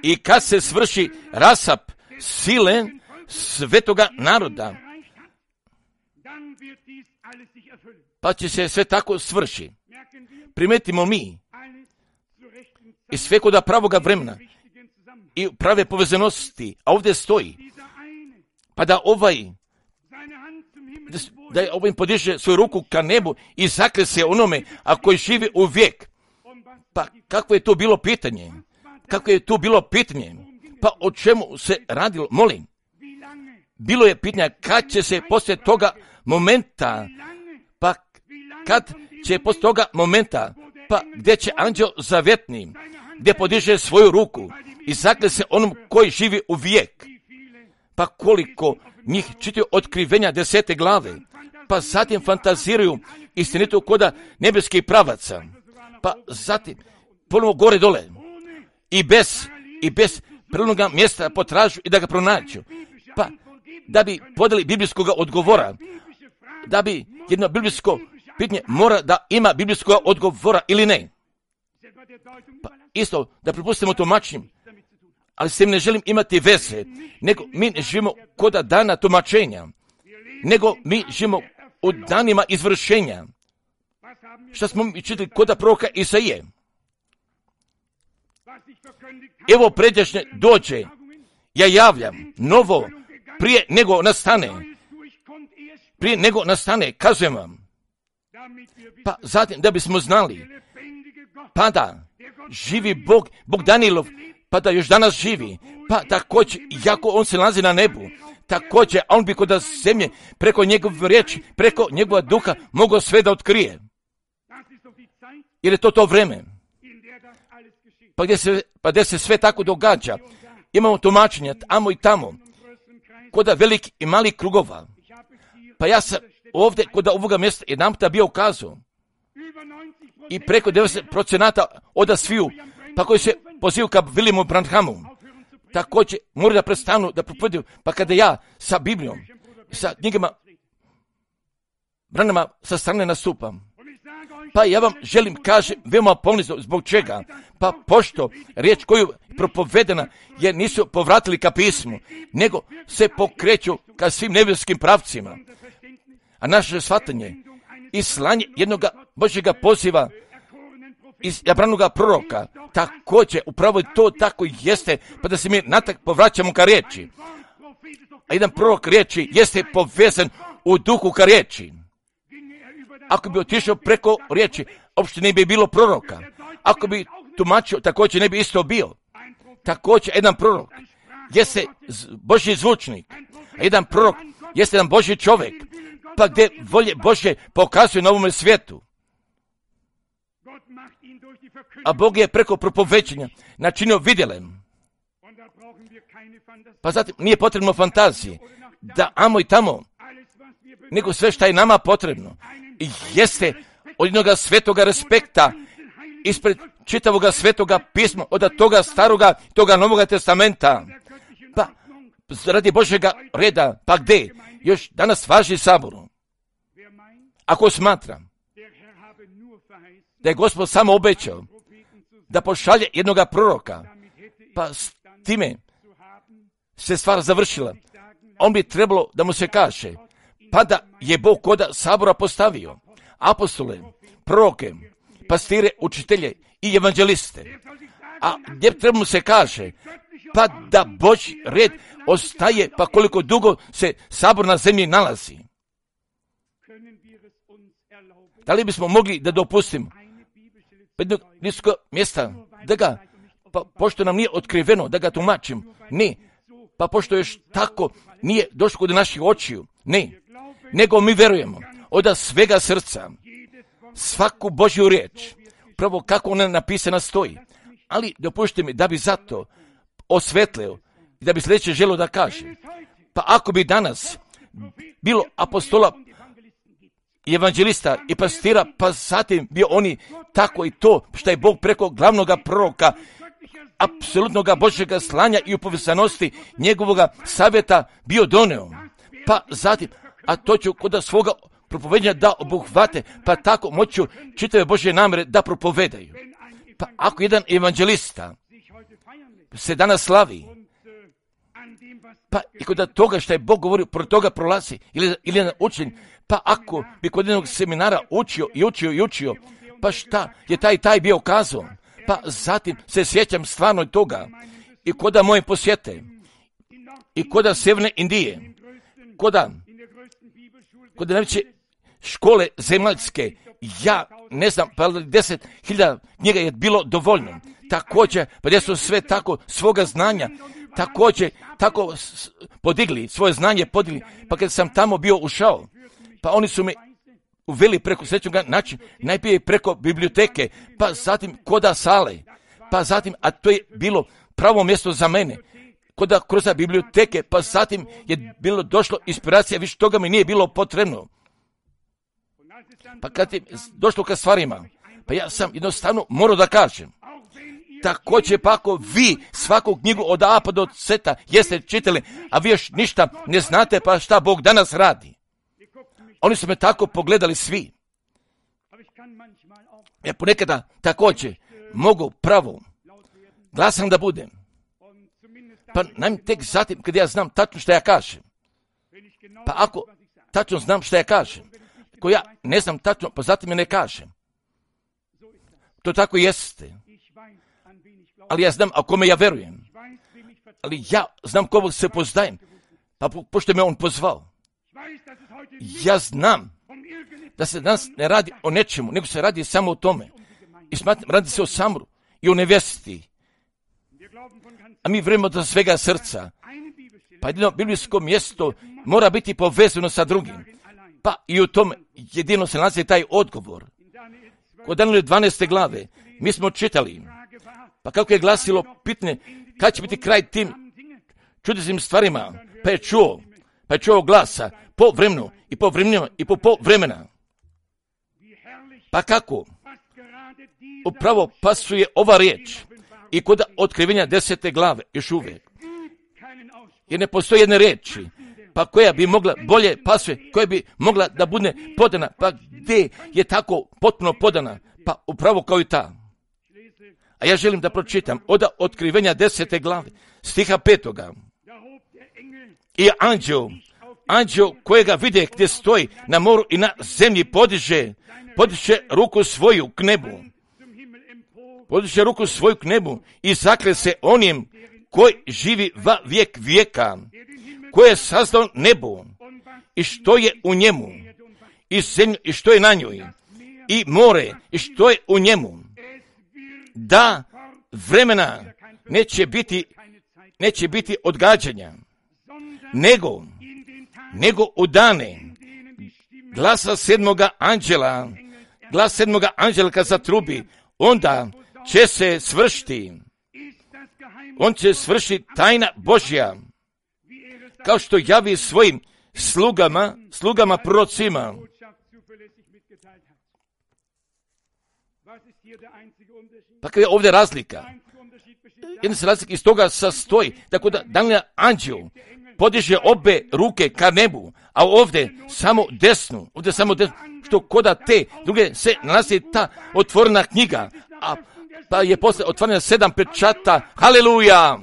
I kad se svrši rasap sile svetoga naroda, pa će se sve tako svrši. Primetimo mi i sve kod pravoga vremena i prave povezanosti, a ovdje stoji, pa da ovaj podiže svoju ruku ka nebu i zakle se onome, a koji živi u vijek. Pa kako je to bilo pitanje? Pa o čemu se radilo? Molim. Bilo je pitanje kad će se poslije toga momenta, pa gdje će anđeo zavetni, gdje podiže svoju ruku i zakle se onom koji živi u vijek. Pa koliko njih čitaju otkrivenja 10. glave, pa zatim fantaziraju istinitu koda nebeskih pravaca, pa zatim ponovno gore dole i bez prirodnoga mjesta potražu i da ga pronađu, pa da bi podali biblijskog odgovora, da bi jedno biblijsko pitanje mora da ima biblijskog odgovora ili ne. Pa isto da prepustimo tumačenjem, ali s tim ne želim imati veze, nego mi ne živimo kod dana tumačenja, nego mi živimo u danima izvršenja. Šta smo mi čitali kod proroka Isaije? Evo predjašnje dođe, ja javljam novo prije nego nastane, kazujem vam. Pa zatim da bismo znali, pa da živi Bog Danilov, pa da još danas živi, pa također, jako on se nalazi na nebu, također, on bi kod zemlje, preko njegove riječi, preko njegova duha, mogao sve da otkrije. Jer je to vreme. Pa gdje se sve tako događa, imamo tumačenja tamo i tamo, kod velikih i malih krugova. Pa ja sam ovdje kod ovoga mjesta jedan puta bio ukazao i preko 90% od sviju, pa koji se pozivu ka Williamu Branhamu, također moraju da prestanu da propovjeduju, pa kada ja sa Biblijom, sa knjigama Branhama sa strane nastupam, pa ja vam želim kažem veoma ponizno zbog čega, pa pošto riječ koju je propovedena jer nisu povratili ka pismu, nego se pokreću ka svim nebeskim pravcima, a naše shvatanje i slanje jednog Božjega poziva iz izabranoga proroka, također upravo to tako jeste, pa da se mi natak povraćamo ka riječi. A jedan prorok riječi jeste povezan u duhu ka riječi. Ako bi otišao preko riječi, uopšte ne bi bilo proroka. Ako bi tumačio, također ne bi isto bio. Također jedan prorok jeste Božji zvučnik, a jedan prorok jeste jedan Božji čovjek. pa gdje volje Božje pokazuje na ovome svijetu. A Bog je preko propovećenja načinio vidjelem. Pa zatim nije potrebno fantazije, da amo i tamo, nego sve što je nama potrebno jeste od jednoga svetoga respekta ispred čitavoga svetoga pisma, od toga staroga, toga novoga testamenta, pa radi Božjega reda, pa gdje još danas važi Saboru. Ako smatra da je Gospod samo obećao da pošalje jednoga proroka, pa s time se stvar završila, on bi trebalo da mu se kaže, pa da je Bog koda Sabora postavio apostole, proroke, pastire, učitelje i evanđeliste. A gdje treba mu se kaže, pa da Božji red ostaje, pa koliko dugo se Sabor na zemlji nalazi. Da li bismo mogli da dopustimo jednog niskog mjesta da ga, pa pošto nam nije otkriveno da ga tumačimo, ne, pa pošto još tako nije došlo do naših očiju, ne, nego mi verujemo od svega srca svaku Božju riječ, pravo kako ona napisana stoji, ali dopušte mi da bi zato osvetlio i da bi sljedeće želio da kaže, pa ako bi danas bilo apostola i evanđelista i pastira, pa zatim bio oni tako i to što je Bog preko glavnoga proroka, apsolutnoga Božjega slanja i upovezanosti njegovoga savjeta bio doneo. Pa zatim, a to ću kod svoga propovedanja da obuhvate, pa tako moću čitave Božje namere da propovedaju. Pa ako jedan evanđelista se danas slavi, pa i kod toga što je Bog govorio, pored toga prolazi, ili jedan učenj, pa ako bi kod jednog seminara učio, pa šta je taj bio kazao, pa zatim se sjećam stvarno toga, i koda moje posjete, i koda Sjeverne Indije, koda najveće škole zemaljske, ja ne znam, pa 10.000 knjiga je bilo dovoljno. Također, pa gdje su sve tako svoga znanja, također, tako podigli, svoje znanje podigli, pa kad sam tamo bio ušao, pa oni su me uveli preko srećnoga načina, najprije preko biblioteke, pa zatim koda sale, pa zatim, a to je bilo pravo mjesto za mene, koda kroz biblioteke, pa zatim je bilo došlo inspiracija, više toga mi nije bilo potrebno. Pa kad je došlo ka stvarima, pa ja sam jednostavno morao da kažem, također pa ako vi svaku knjigu od A pa do Z jeste čitali, a vi još ništa ne znate, pa šta Bog danas radi. Oni su me tako pogledali svi. Ja ponekada također mogu pravo glasan da budem. Pa najme tek zatim kad ja znam tačno što ja kažem. Pa ako tačno znam što ja kažem, ako ja ne znam tačno, pa zatim je ne kažem. To tako jeste. Ali ja znam, a kome ja verujem. Ali ja znam koga se pozdajem. Pa pošto me on pozvao. Ja znam da se danas ne radi o nečemu, nego se radi samo o tome. I smatram, radi se o Samoru i o nevjesti. A mi vjerujemo do svega srca. Pa jedino biblijsko mjesto mora biti povezano sa drugim. Pa i u tom jedino se nalazi taj odgovor. Kod Daniela 12. glave mi smo čitali, pa kako je glasilo pitanje, kad će biti kraj tim čudesnim stvarima, pa je čuo glasa po vremenu i po vremenima i po vremena. Pa kako? Upravo pasuje ova riječ i kod otkrivenja 10. glave još uvijek. Jer ne postoji jedne riječi, pa koja bi mogla bolje pasuje, koja bi mogla da bude podana, pa gdje je tako potpuno podana, pa upravo kao i ta. A ja želim da pročitam od otkrivenja 10. glave, stiha 5. I anđeo kojega vide gdje stoji na moru i na zemlji podiže ruku svoju k nebu. Podiže ruku svoju k nebu i zakle se onim koji živi va vijek vijeka, koji je sazdao nebo i što je u njemu, i zemlju i što je na njoj, i more i što je u njemu, da vremena neće biti odgađanja, nego u dane glasa sedmoga anđela kad zatrubi, onda će se svršiti. On će svršiti tajna Božja, kao što javi svojim slugama prorocima. Pa kada je ovdje razlika? Jedna se razlika iz toga sastoji, tako da Daniel anđel podiže obe ruke ka nebu, a ovdje samo desnu, što koda te druge se nalazi ta otvorena knjiga, a pa je posle otvorena 7 pečata. Haleluja!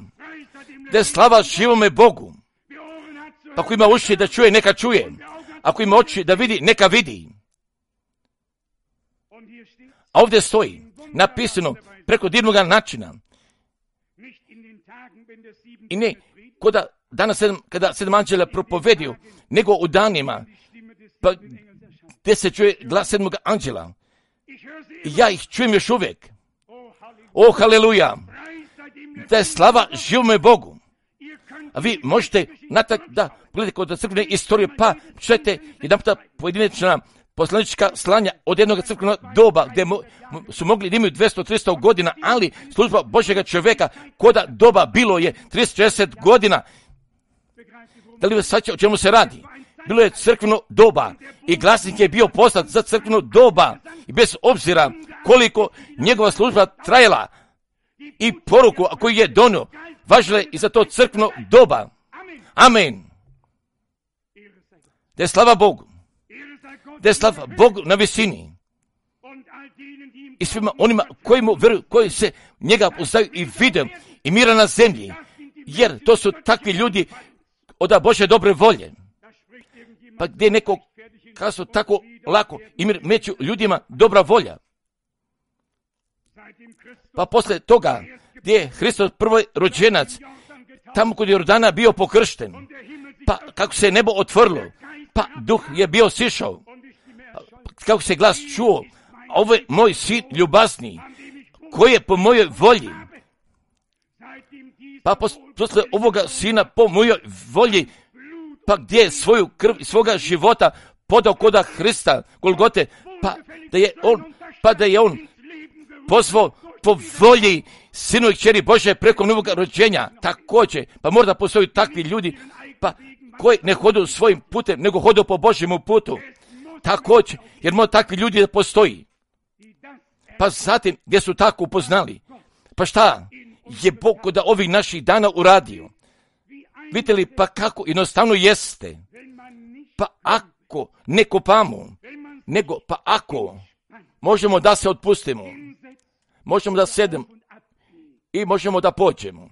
Da je slava živome Bogu. Pa ako ima uši da čuje, neka čuje. Ako ima oči da vidi, neka vidi. A ovdje stoji napisano preko divnog načina. I ne koda danas kada 7 anđela propovedio, nego u danima, pa gdje se čuje glas 7. anđela. I ja ih čujem još uvijek. O, haleluja! Da je slava živome Bogu. A vi možete da gledate kod crkvene istorije, pa čujete jedan puta pojedinačna poslanička slanja od jednog crkvenog doba, gdje su mogli da imaju 200-300 godina, ali služba Božjega čovjeka koda doba bilo je 30-60 godina. Da li vas shvaća o čemu se radi? Bilo je crkveno doba i glasnik je bio poslat za crkveno doba i bez obzira koliko njegova služba trajala i poruku koju je donio, važila je i za to crkveno doba. Amen. Da je slava Bogu. Da je slava Bogu na visini. I svima onima koji mu veruju, koji se njega poznaju i vide i mira na zemlji. Jer to su takvi ljudi od Božje dobre volje. Pa gdje neko kaso tako lako i mir među ljudima dobra volja. Pa poslije toga gdje je Hristos prvi rođenac, tamo kod Jordana bio pokršten, pa kako se nebo otvorilo, pa duh je bio sišao, pa kako se glas čuo, ovo je moj sin ljubazni, koji je po mojoj volji. Pa posle ovoga sina po mojoj volji, pa gdje je svoju krv i svoga života podao koda Hrista, Golgote, pa da je on pozvao po volji sinu i kćeri Bože preko novog rođenja. Također, pa možda postoji takvi ljudi, pa koji ne hodu svojim putem, nego hodu po Božjemu putu. Također, jer možda takvi ljudi da postoji. Pa zatim, gdje su tako upoznali, pa šta je Bog kod ovih naših dana uradio? Vidite li pa kako jednostavno jeste? Pa ako ne kopamo, nego pa ako možemo da se otpustimo, možemo da sedemo i možemo da pođemo.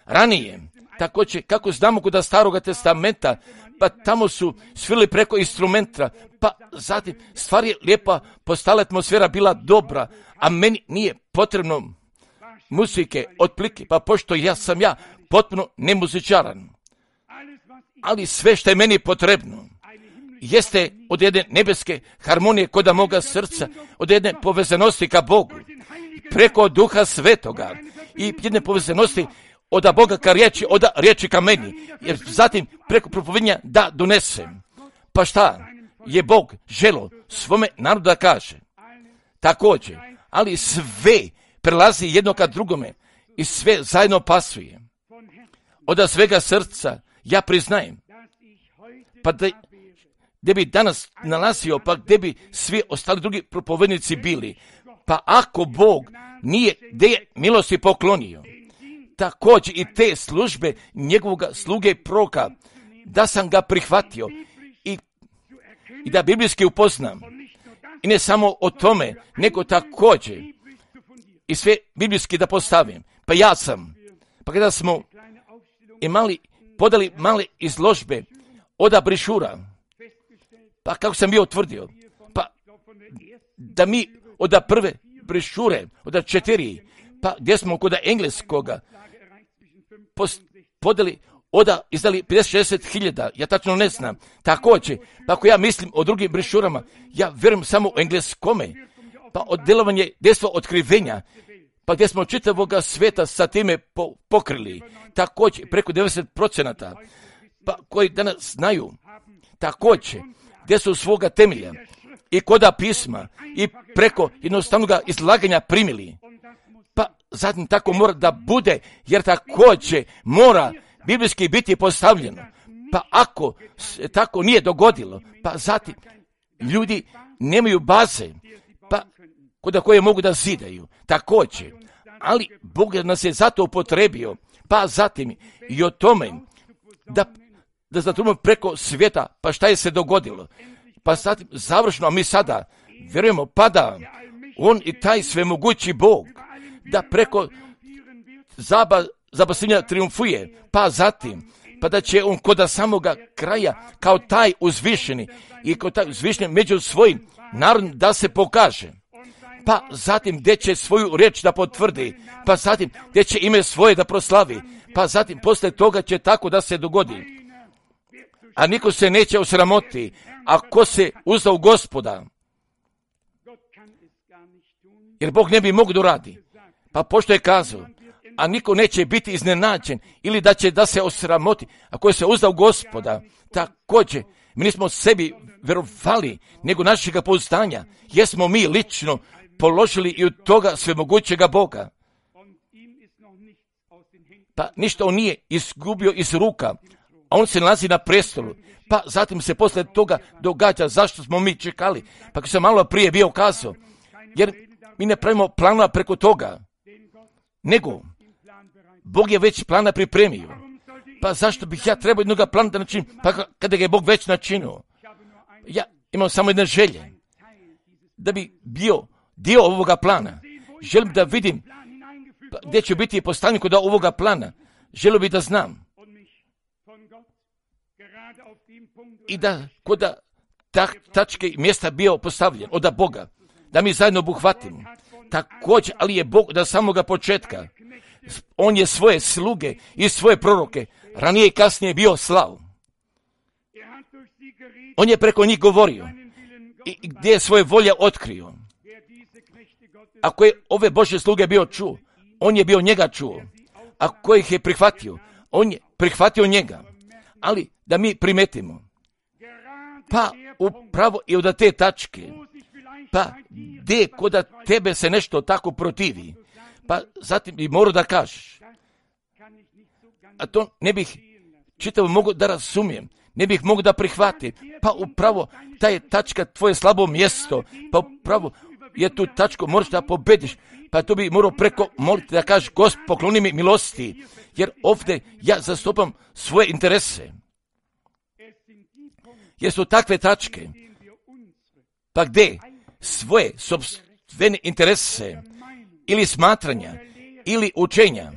Ranije, također kako znamo kod Staroga testamenta, pa tamo su svirali preko instrumenta, pa zatim stvar je lijepa, postala atmosfera bila dobra, a meni nije potrebno muzike, otplike, pa pošto sam potpuno nemuzičaran. Ali sve što je meni potrebno jeste od jedne nebeske harmonije koda moga srca, od jedne povezanosti ka Bogu, preko Duha Svetoga i jedne povezanosti od Boga ka riječi, od riječi ka meni, jer zatim preko propovedanja da donesem. Pa šta je Bog želo svome narodu da kaže? Također, ali sve prelazi jedno ka drugome i sve zajedno pasuje. Od svega srca ja priznajem, pa gdje bi danas nalazio, pa gdje bi svi ostali drugi propovednici bili, pa ako Bog nije gdje je milosti poklonio, također i te službe njegovog sluge i proroka, da sam ga prihvatio i da biblijski upoznam. I ne samo o tome, nego također i sve biblijski da postavim. Pa ja sam, pa kada smo podali male izložbe od brišura, pa kako sam bio utvrdio, pa da mi od prve brišure, od 4, pa gdje smo kod engleskoga podali, izdali 50-60 000, ja tačno ne znam. Također, pa ako ja mislim o drugim brišurama, ja vjerujem samo o engleskome, pa od delovanje djestva otkrivenja, pa gdje smo čitavoga sveta sa time pokrili, također preko 90%, pa koji danas znaju, također gdje su svoga temelja i koda pisma i preko jednostavnog izlaganja primili. Pa zatim tako mora da bude, jer također mora biblijski biti postavljeno. Pa ako se tako nije dogodilo, pa zatim ljudi nemaju baze, pa kod koje mogu da zidaju. Također, ali Bog nas je zato upotrebio, pa zatim i o tome da zatrubimo preko svijeta, pa šta je se dogodilo. Pa zatim završno, a mi sada vjerujemo pa da on i taj svemogući Bog, da preko zabasenja triumfuje, pa zatim, pa da će on kod samoga kraja kao taj uzvišeni i kao taj uzvišeni među svojim narodom da se pokaže. Pa zatim gdje će svoju riječ da potvrdi, pa zatim gdje će ime svoje da proslavi, pa zatim posle toga će tako da se dogodi. A niko se neće osramoti, ako se uzda u Gospoda. Jer Bog ne bi mogao da uradi. Pa pošto je kazao, a niko neće biti iznenađen ili da će da se osramoti, ako se uzda u Gospoda. Također, mi nismo sebi verovali, nego našega pouzdanja, jesmo mi lično položili i od toga svemogućega Boga. Pa ništa on nije izgubio iz ruka, a on se nalazi na prestolu. Pa zatim se posle toga događa zašto smo mi čekali. Pa kako sam malo prije bio kazao, jer mi ne pravimo plana preko toga, nego Bog je već plana pripremio. Pa zašto bih ja trebao jednog plana da načinim, pa kada ga je Bog već načinio? Ja imam samo jedne želje, da bi bio dio ovoga plana. Želim da vidim gdje ću biti postavljen kod ovoga plana. Želim bi da znam. I da kod tačke i mjesta bio postavljen od Boga, da mi zajedno obuhvatimo. Također, ali je Bog da samoga početka, on je svoje sluge i svoje proroke ranije i kasnije bio slao. On je preko njih govorio i gdje je svoje volje otkrio. Ako je ove Božje sluge bio čuo, on je bio njega čuo. Ako ih je prihvatio, on je prihvatio njega. Ali da mi primetimo, pa upravo i od te tačke, pa gdje kod tebe se nešto tako protivi, pa zatim bi morao da kažeš, a to ne bih čitavo mogu da razumijem, ne bih mogu da prihvatim, pa upravo ta je tačka tvoje slabo mjesto, pa upravo je tu tačku moraš da pobediš, pa tu bi morao preko moliti da kažeš, Gospod, pokloni mi milosti, jer ovdje ja zastupam svoje interese. Jer su takve tačke, pa gdje svoje sopstvene interese ili smatranja, ili učenja,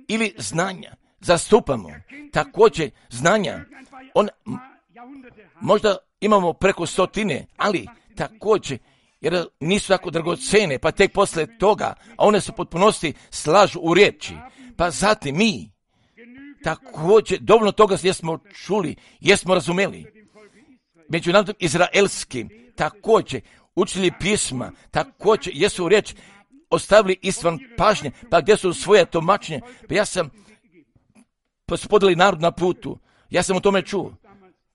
ili znanja zastupamo, također znanja, možda imamo preko 100, ali također, jer nisu tako dragocene, pa tek posle toga, a one su potpunosti slažu u riječi, pa zatim mi također dovoljno toga jesmo čuli, jesmo razumeli. Među narodom izraelskim također učili pisma, također jesu riječ ostavili istvan pažnje, pa gdje su svoje tumačenje. Pa ja sam pospodili narod na putu, ja sam o tome čuo.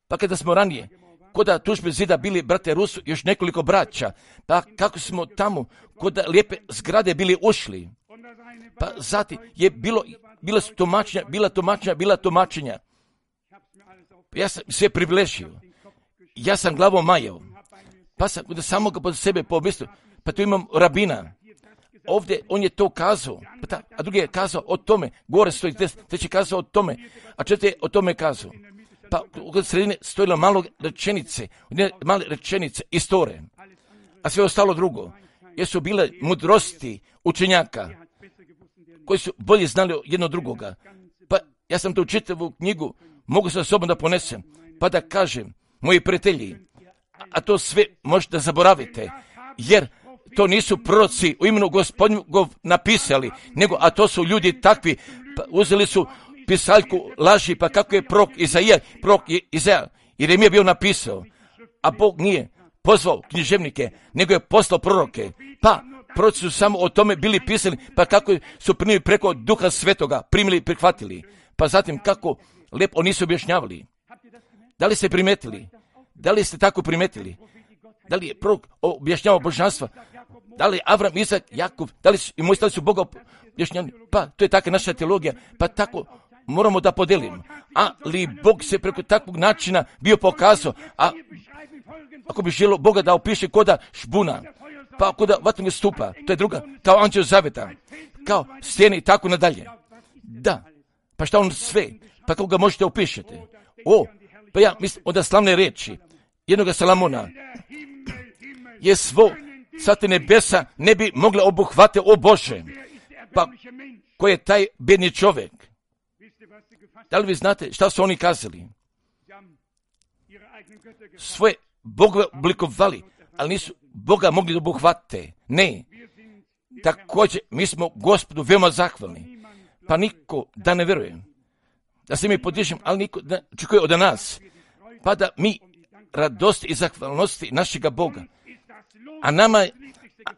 Pa kada smo ranije kod tužbe zida bili brate Rusu još nekoliko braća, pa kako smo tamo kod lijepe zgrade bili ušli, pa zatim je bila tumačenja. Ja sam sve približio. Ja sam glavom majao, pa sam kod samoga pod sebe pomislio, pa tu imam rabina. Ovdje on je to kazao, a drugi je kazao o tome, gore stoji, treći kazao o tome, a četvrti je o tome kazao. Pa u sredine stojilo male rečenice, istore, a sve ostalo drugo. Jer su bile mudrosti učenjaka, koji su bolje znali jedno drugoga. Pa ja sam tu čitavu knjigu, mogu sa sobom da ponesem, pa da kažem, moji prijatelji, a to sve možete zaboravite, jer to nisu proroci u imenu Gospodnjegov napisali, nego, a to su ljudi takvi, pa uzeli su pisaljku laži, pa kako je prorok Izaja, Jeremija bio napisao, a Bog nije pozvao književnike, nego je poslao proroke, pa proroci su samo o tome bili pisani, pa kako su primili preko Duha Svetoga, primili i prihvatili, pa zatim kako lijepo nisu objašnjavali. Da li ste primetili Da li ste tako primetili? Da li je prorok objašnjavao božanstva? Da li Avram, Izak, Jakov, da li su i moji su Boga objašnjavali? Pa to je taka naša teologija, pa tako moramo da podelimo. Ali Bog se preko takvog načina bio pokazao, a ako bi želio Boga da opiše koda šbuna, pa koda vatnog stupa, to je druga, kao anđeo zaveta, kao stijene i tako nadalje. Da, pa šta on sve, pa kako ga možete opišeti? Pa ja mislim, onda slavne reči jednoga Salamona je svo svate nebesa ne bi mogle obuhvate, o Bože, pa ko je taj bedni čovjek? Da li vi znate šta su oni kazali? Svoje Boga oblikovali, ali nisu Boga mogli da obuhvate. Ne. Također, mi smo Gospodu veoma zahvalni. Pa niko da ne veruje. Da se mi podižemo, ali niko da očekuje od nas. Pa da mi radosti i zahvalnosti našega Boga.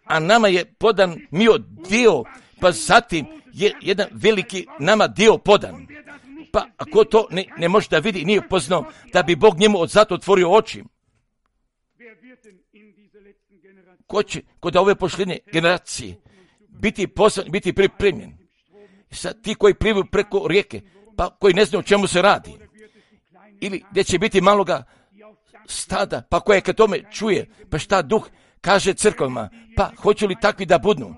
A nama je podan mio dio, pa zatim je jedan veliki nama dio podan. Pa ako to ne može da vidi, nije upoznao, da bi Bog njemu od zato otvorio oči. Ko će kod ove posljednje generacije biti poslan, biti pripremljen? Sad ti koji plivaju preko rijeke, pa koji ne znaju o čemu se radi. Ili gdje će biti maloga stada, pa koje kad tome čuje, pa šta duh kaže crkvama, pa hoće li takvi da budnu?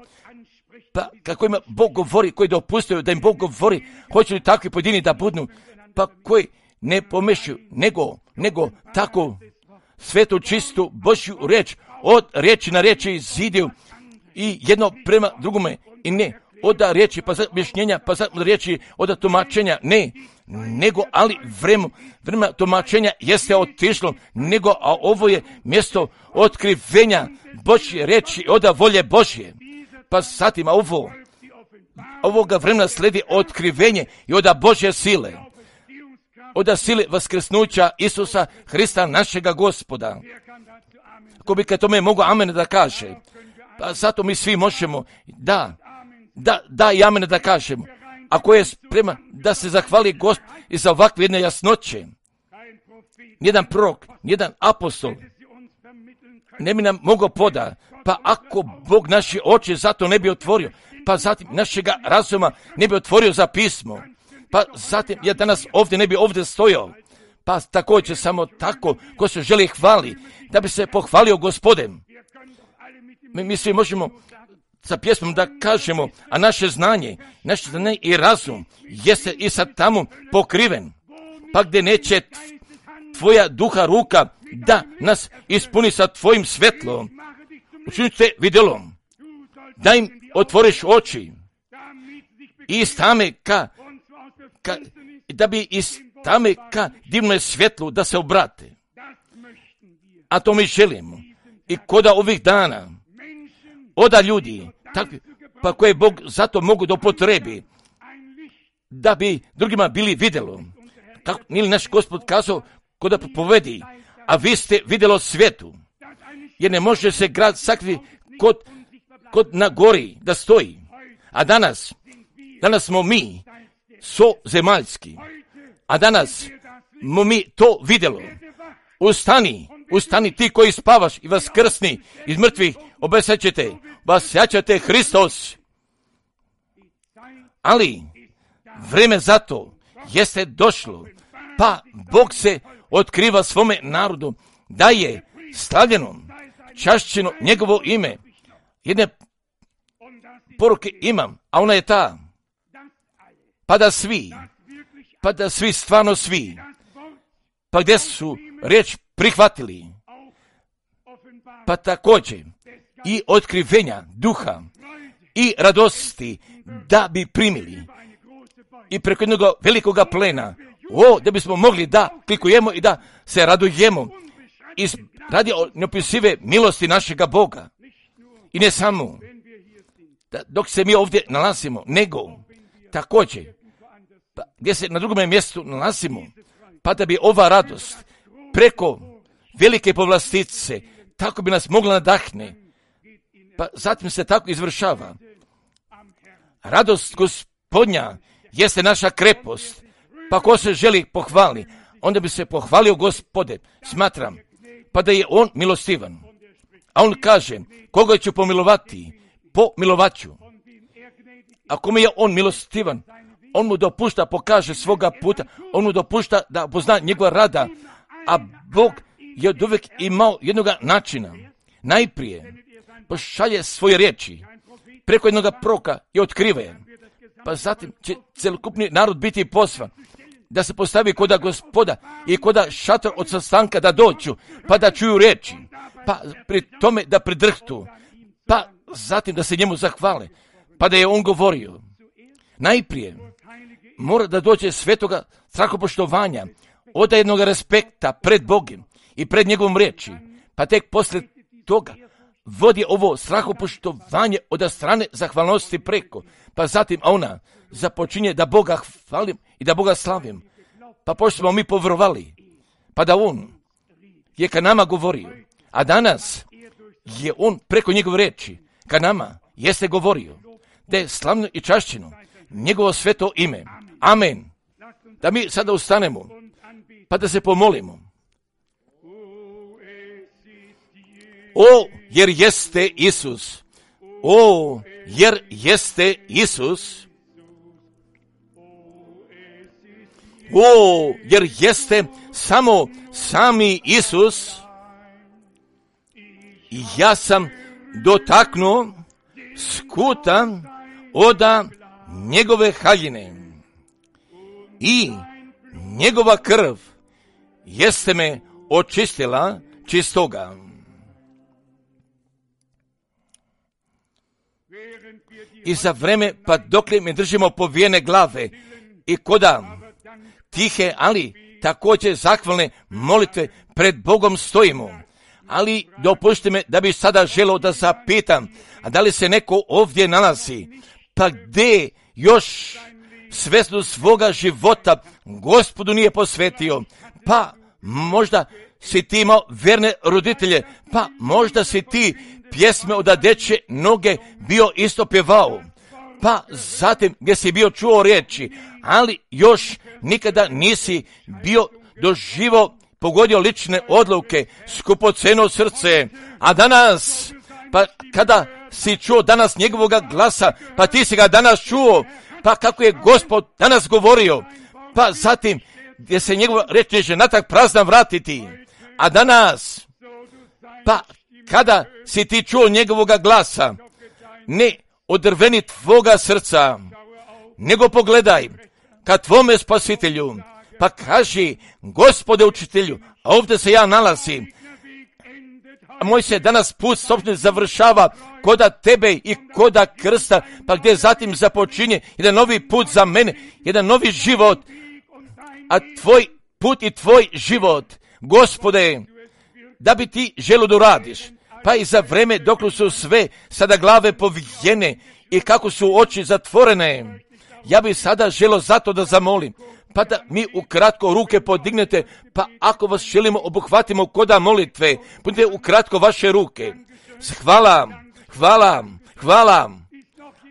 Pa kako ima Bog govori, koji dopustaju da im Bog govori, hoće li takvi pojedini da budnu, pa koji ne pomešaju, nego tako svetu čistu Božju reč, od riječi na riječi zidiju i jedno prema drugome, i ne od riječi pa za objašnjenja, pa za riječi od tumačenja, ne, nego ali vrema tumačenja jeste otišlo, nego a ovo je mjesto otkrivenja Božje reči od volje Božje. Pa zatim ovoga vremena sledi otkrivenje i od Božje sile, od sile vaskrsnuća Isusa Hrista našega Gospoda. Ako bi kad tome mogu amen da kaže, pa zato mi svi možemo, da i amen da kažemo. Ako je spreman da se zahvali Gospod i za ovakve jedne jasnoće, nijedan prorok, nijedan apostol ne bi nam mogao poda, pa ako Bog naše oči zato ne bi otvorio, pa zatim našega razuma ne bi otvorio za pismo, pa zatim ja danas ovdje ne bi ovdje stojao, pa također samo tako ko se želi hvali, da bi se pohvalio Gospodem. Mi svi možemo sa pjesmom da kažemo, a naše znanje i razum jeste i sad tamo pokriven, pa gdje neće tvoja duha ruka da nas ispuni sa tvojim svetlom, učinit te vidjelom, da im otvoriš oči i iz tame da bi iz tame ka divnoj svjetlu da se obrate. A to mi želimo. I koda ovih dana oda ljudi, takvi, pa koje Bog zato mogu da upotrebi, da bi drugima bili vidjelo. Kako nije li naš Gospod kazao, koda povedi, a vi ste vidjelo svijetu, jer ne može se grad sakri kod na gori da stoji. A danas smo mi zemaljski, a danas smo mi to vidjelo. Ustani ti koji spavaš i vaskrsni iz mrtvih, obesjaćete Hristos. Ali vrijeme za to jeste došlo, pa Bog se otkriva svome narodu, da je slavljeno, čašćeno njegovo ime. Jedne poruke imam, a ona je ta, pa da svi, stvarno svi, pa gdje su riječ prihvatili, pa također i otkrivenja duha i radosti da bi primili i preko jednog velikoga plena, da bismo mogli da klikujemo i da se radujemo radi neopisive milosti našega Boga. I ne samo dok se mi ovdje nalazimo, nego također pa gdje se na drugom mjestu nalazimo, pa da bi ova radost preko velike povlastice tako bi nas mogla nadahne, pa zatim se tako izvršava. Radost Gospodnja jeste naša krepost, pa ko se želi pohvali, onda bi se pohvalio Gospode. Smatram pa da je on milostivan. A on kaže, koga ću pomilovati, pomilovaću. Ako mi je on milostivan, on mu dopušta pokaže svoga puta, on mu dopušta da pozna njegova rada, a Bog je od uvijek imao jednog načina. Najprije pošalje svoje riječi preko jednog proroka i otkriva je. Pa zatim će celokupni narod biti posvan, da se postavi koda Gospoda i koda šator od sastanka da dođu, pa da čuju riječi, pa pri tome da pridrhtu, pa zatim da se njemu zahvale, pa da je on govorio. Najprije mora da dođe svetoga strahopoštovanja, od jednog respekta pred Bogom i pred njegovom riječi, pa tek poslije toga vodi ovo strahopoštovanje od strane zahvalnosti preko, pa zatim ona započinje da Boga hvalim i da Boga slavim. Pa pošto smo mi povjerovali, pa da on je ka nama govorio, a danas je on preko njegove riječi ka nama jeste govorio, da je slavno i čašćeno njegovo sveto ime. Amen. Da mi sada ustanemo, pa da se pomolimo. O, jer jeste Isus. O, jer jeste Isus. O, jer jeste samo sami Isus. Ja sam dotaknuo skuta oda njegove haljine i njegova krv jeste me očistila čistoga. I za vreme, pa dokle mi držimo povijene glave i koda tihe, ali također zahvalne molitve pred Bogom stojimo. Ali dopušti me da bi sada želio da zapitam, a da li se neko ovdje nalazi, pa gdje još svesno svoga života Gospodu nije posvetio, pa možda si ti imao verne roditelje, pa možda si ti pjesme od dečje noge bio isto pjevao, pa zatim gdje si bio čuo riječi, ali još nikada nisi bio doživo pogodio lične odluke, skupoceno srce, a danas, pa kada si čuo danas njegovoga glasa, pa ti si ga danas čuo, pa kako je Gospod danas govorio, pa zatim gdje se njegova reč neće natrag prazna vratiti, a danas, pa kada si ti čuo njegovoga glasa, ne odrveni tvoga srca, nego pogledaj ka tvome spasitelju, pa kaži, Gospode učitelju, a ovdje se ja nalazim, a moj se danas put sopstveni završava koda tebe i koda krsta, pa gdje zatim započinje jedan novi put za mene, jedan novi život, a tvoj put i tvoj život, Gospode, da bi ti želo da radiš, pa i za vreme dok su sve sada glave povijene i kako su oči zatvorene, ja bi sada želo zato da zamolim, pa da mi ukratko ruke podignete, pa ako vas želimo obuhvatimo koda molitve, budite ukratko vaše ruke. Hvala, hvala, hvala.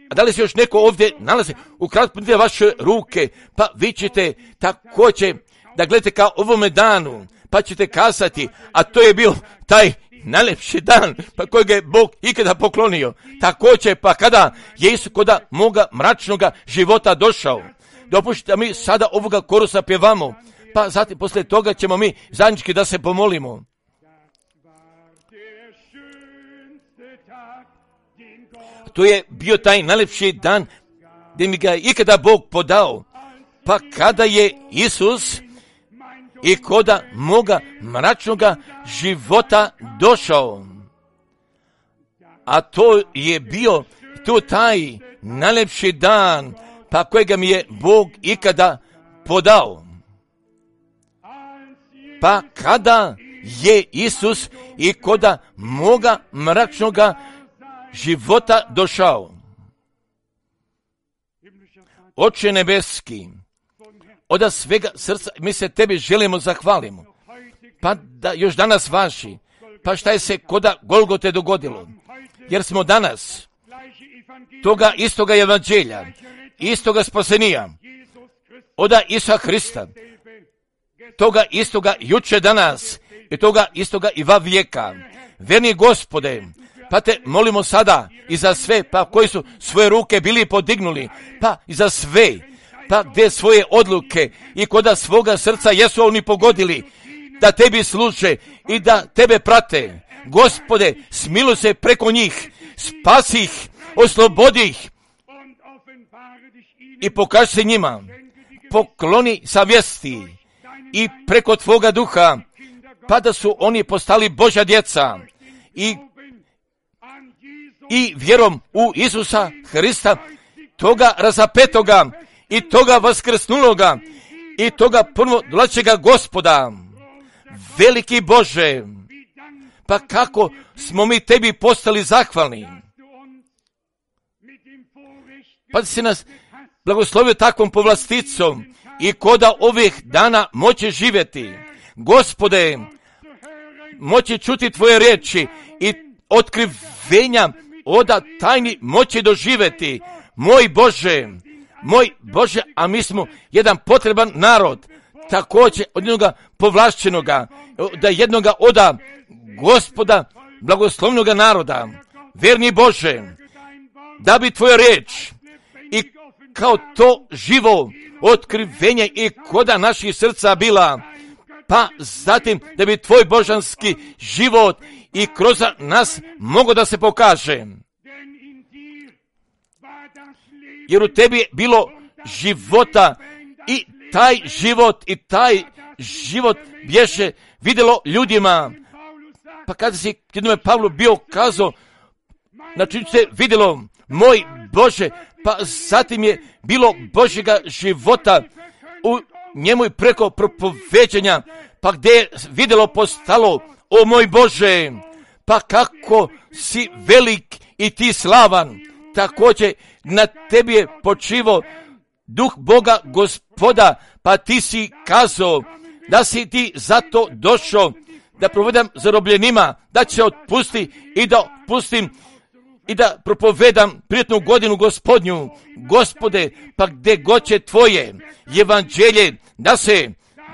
A da li se još neko ovdje nalazi? Ukratko budite vaše ruke, pa vi ćete također da gledate kao ovome danu, pa ćete kazati, a to je bio taj najlepši dan, pa kojeg je Bog ikada poklonio. Također, pa kada je Isus koda moga mračnoga života došao. Dopušite da mi sada ovoga korusa pjevamo, pa zatim poslije toga ćemo mi zajednički da se pomolimo. To je bio taj najlepši dan gdje mi ga ikada Bog podao, pa kada je Isus i koda moga mračnoga života došao. A to je bio tu taj najlepši dan, pa kojega mi je Bog ikada podao. Pa kada je Isus i koda moga mračnoga života došao. Oče nebeski, od svega srca mi se tebi želimo zahvalimo, pa da još danas vaši, pa šta je se koda Golgote dogodilo, jer smo danas toga istoga evanđelja, istoga spasenija, oda Isusa Hrista, toga istoga juče danas i toga istoga i va vijeka. Verni Gospode, pa te molimo sada i za sve, pa koji su svoje ruke bili podignuli, pa i za sve, pa gdje svoje odluke i koda svoga srca jesu oni pogodili, da tebi služe i da tebe prate. Gospode, smiluj se preko njih, spasi ih, oslobodi ih i pokaži se njima. Pokloni savjesti i preko tvoga duha, pa da su oni postali Božja djeca i vjerom u Isusa Hrista, toga razapetoga i toga vaskrsnuloga i toga ponovo dolazećega Gospoda. Veliki Bože, pa kako smo mi tebi postali zahvalni. Pa si nas blagoslovio takvom povlasticom i koda ovih dana moći živjeti. Gospode, moći čuti tvoje riječi i otkrivenja oda tajni moći doživjeti. Moj Bože, a mi smo jedan potreban narod, također od jednoga povlašćenoga, da jednoga oda Gospoda blagoslovnoga naroda. Verni Bože, da bi tvoja riječ i kao to živo otkrivenje i koda naših srca bila, pa zatim da bi tvoj božanski život i kroz nas mogo da se pokaže. Jer u tebi je bilo života i taj život bješe vidjelo ljudima. Pa kada si jednome Pavlu bio kazao, znači se vidjelo, moj Bože, pa zatim je bilo Božjega života u njemu i preko propoveđenja, pa gdje je vidjelo postalo, o moj Bože, pa kako si velik i ti slavan, također na tebi je počivo duh Boga Gospoda, pa ti si kazao da si ti zato došao da provedam zarobljenima, da će otpusti i da otpustim i da propovedam prijetnu godinu Gospodnju. Gospode, pa gdje god će tvoje evanđelje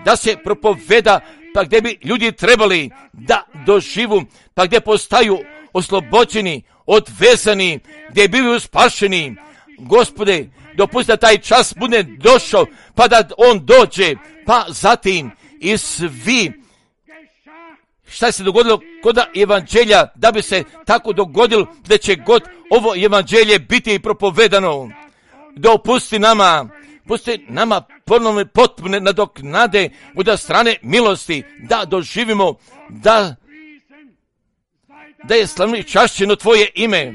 da se propoveda, pa gdje bi ljudi trebali da doživu, pa gdje postaju oslobođeni, odvezani, gdje bivaju spašeni. Gospode, dopusti da taj čas bude došao, pa da on dođe, pa zatim i svi. Šta se dogodilo kod evanđelja, da bi se tako dogodilo da će god ovo evanđelje biti propovedano. Dopusti nama ponovne potpune nadoknade od strane milosti, da doživimo da je slavno i čašćeno tvoje ime.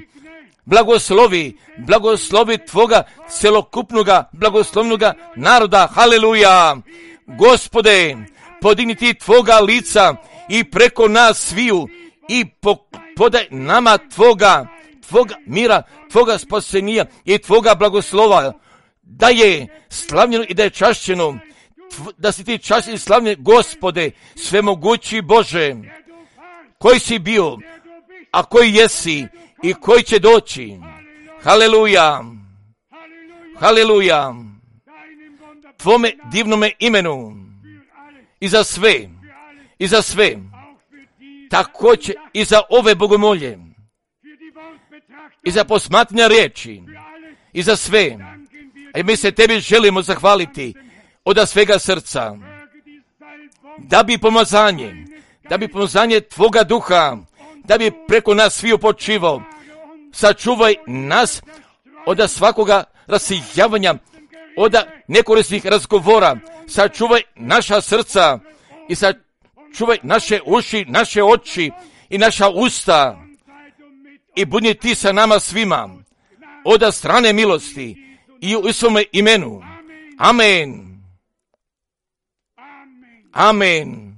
Blagoslovi tvoga celokupnoga blagoslovnoga naroda. Haleluja! Gospode, podigni ti tvoga lica i preko nas sviju i podaj nama tvoga mira, tvoga spasenija i tvoga blagoslova, da je slavljeno i da je čašćeno, da si ti čašćen i slavljen, Gospode, svemogući Bože, koji si bio, a koji jesi i koji će doći. Haleluja! Haleluja! Tvome divnome imenu i za sve, također i za ove bogomolje, i za posmatranja riječi, i za sve. A mi se tebi želimo zahvaliti od svega srca, da bi pomazanje tvoga duha, da bi preko nas sviju počivao. Sačuvaj nas od svakoga rasijavanja, od nekorisnih razgovora. Sačuvaj naša srca i sačuvaj naše uši, naše oči i naša usta. I budi ti sa nama svima od strane milosti i u svome imenu. Amen. Amen.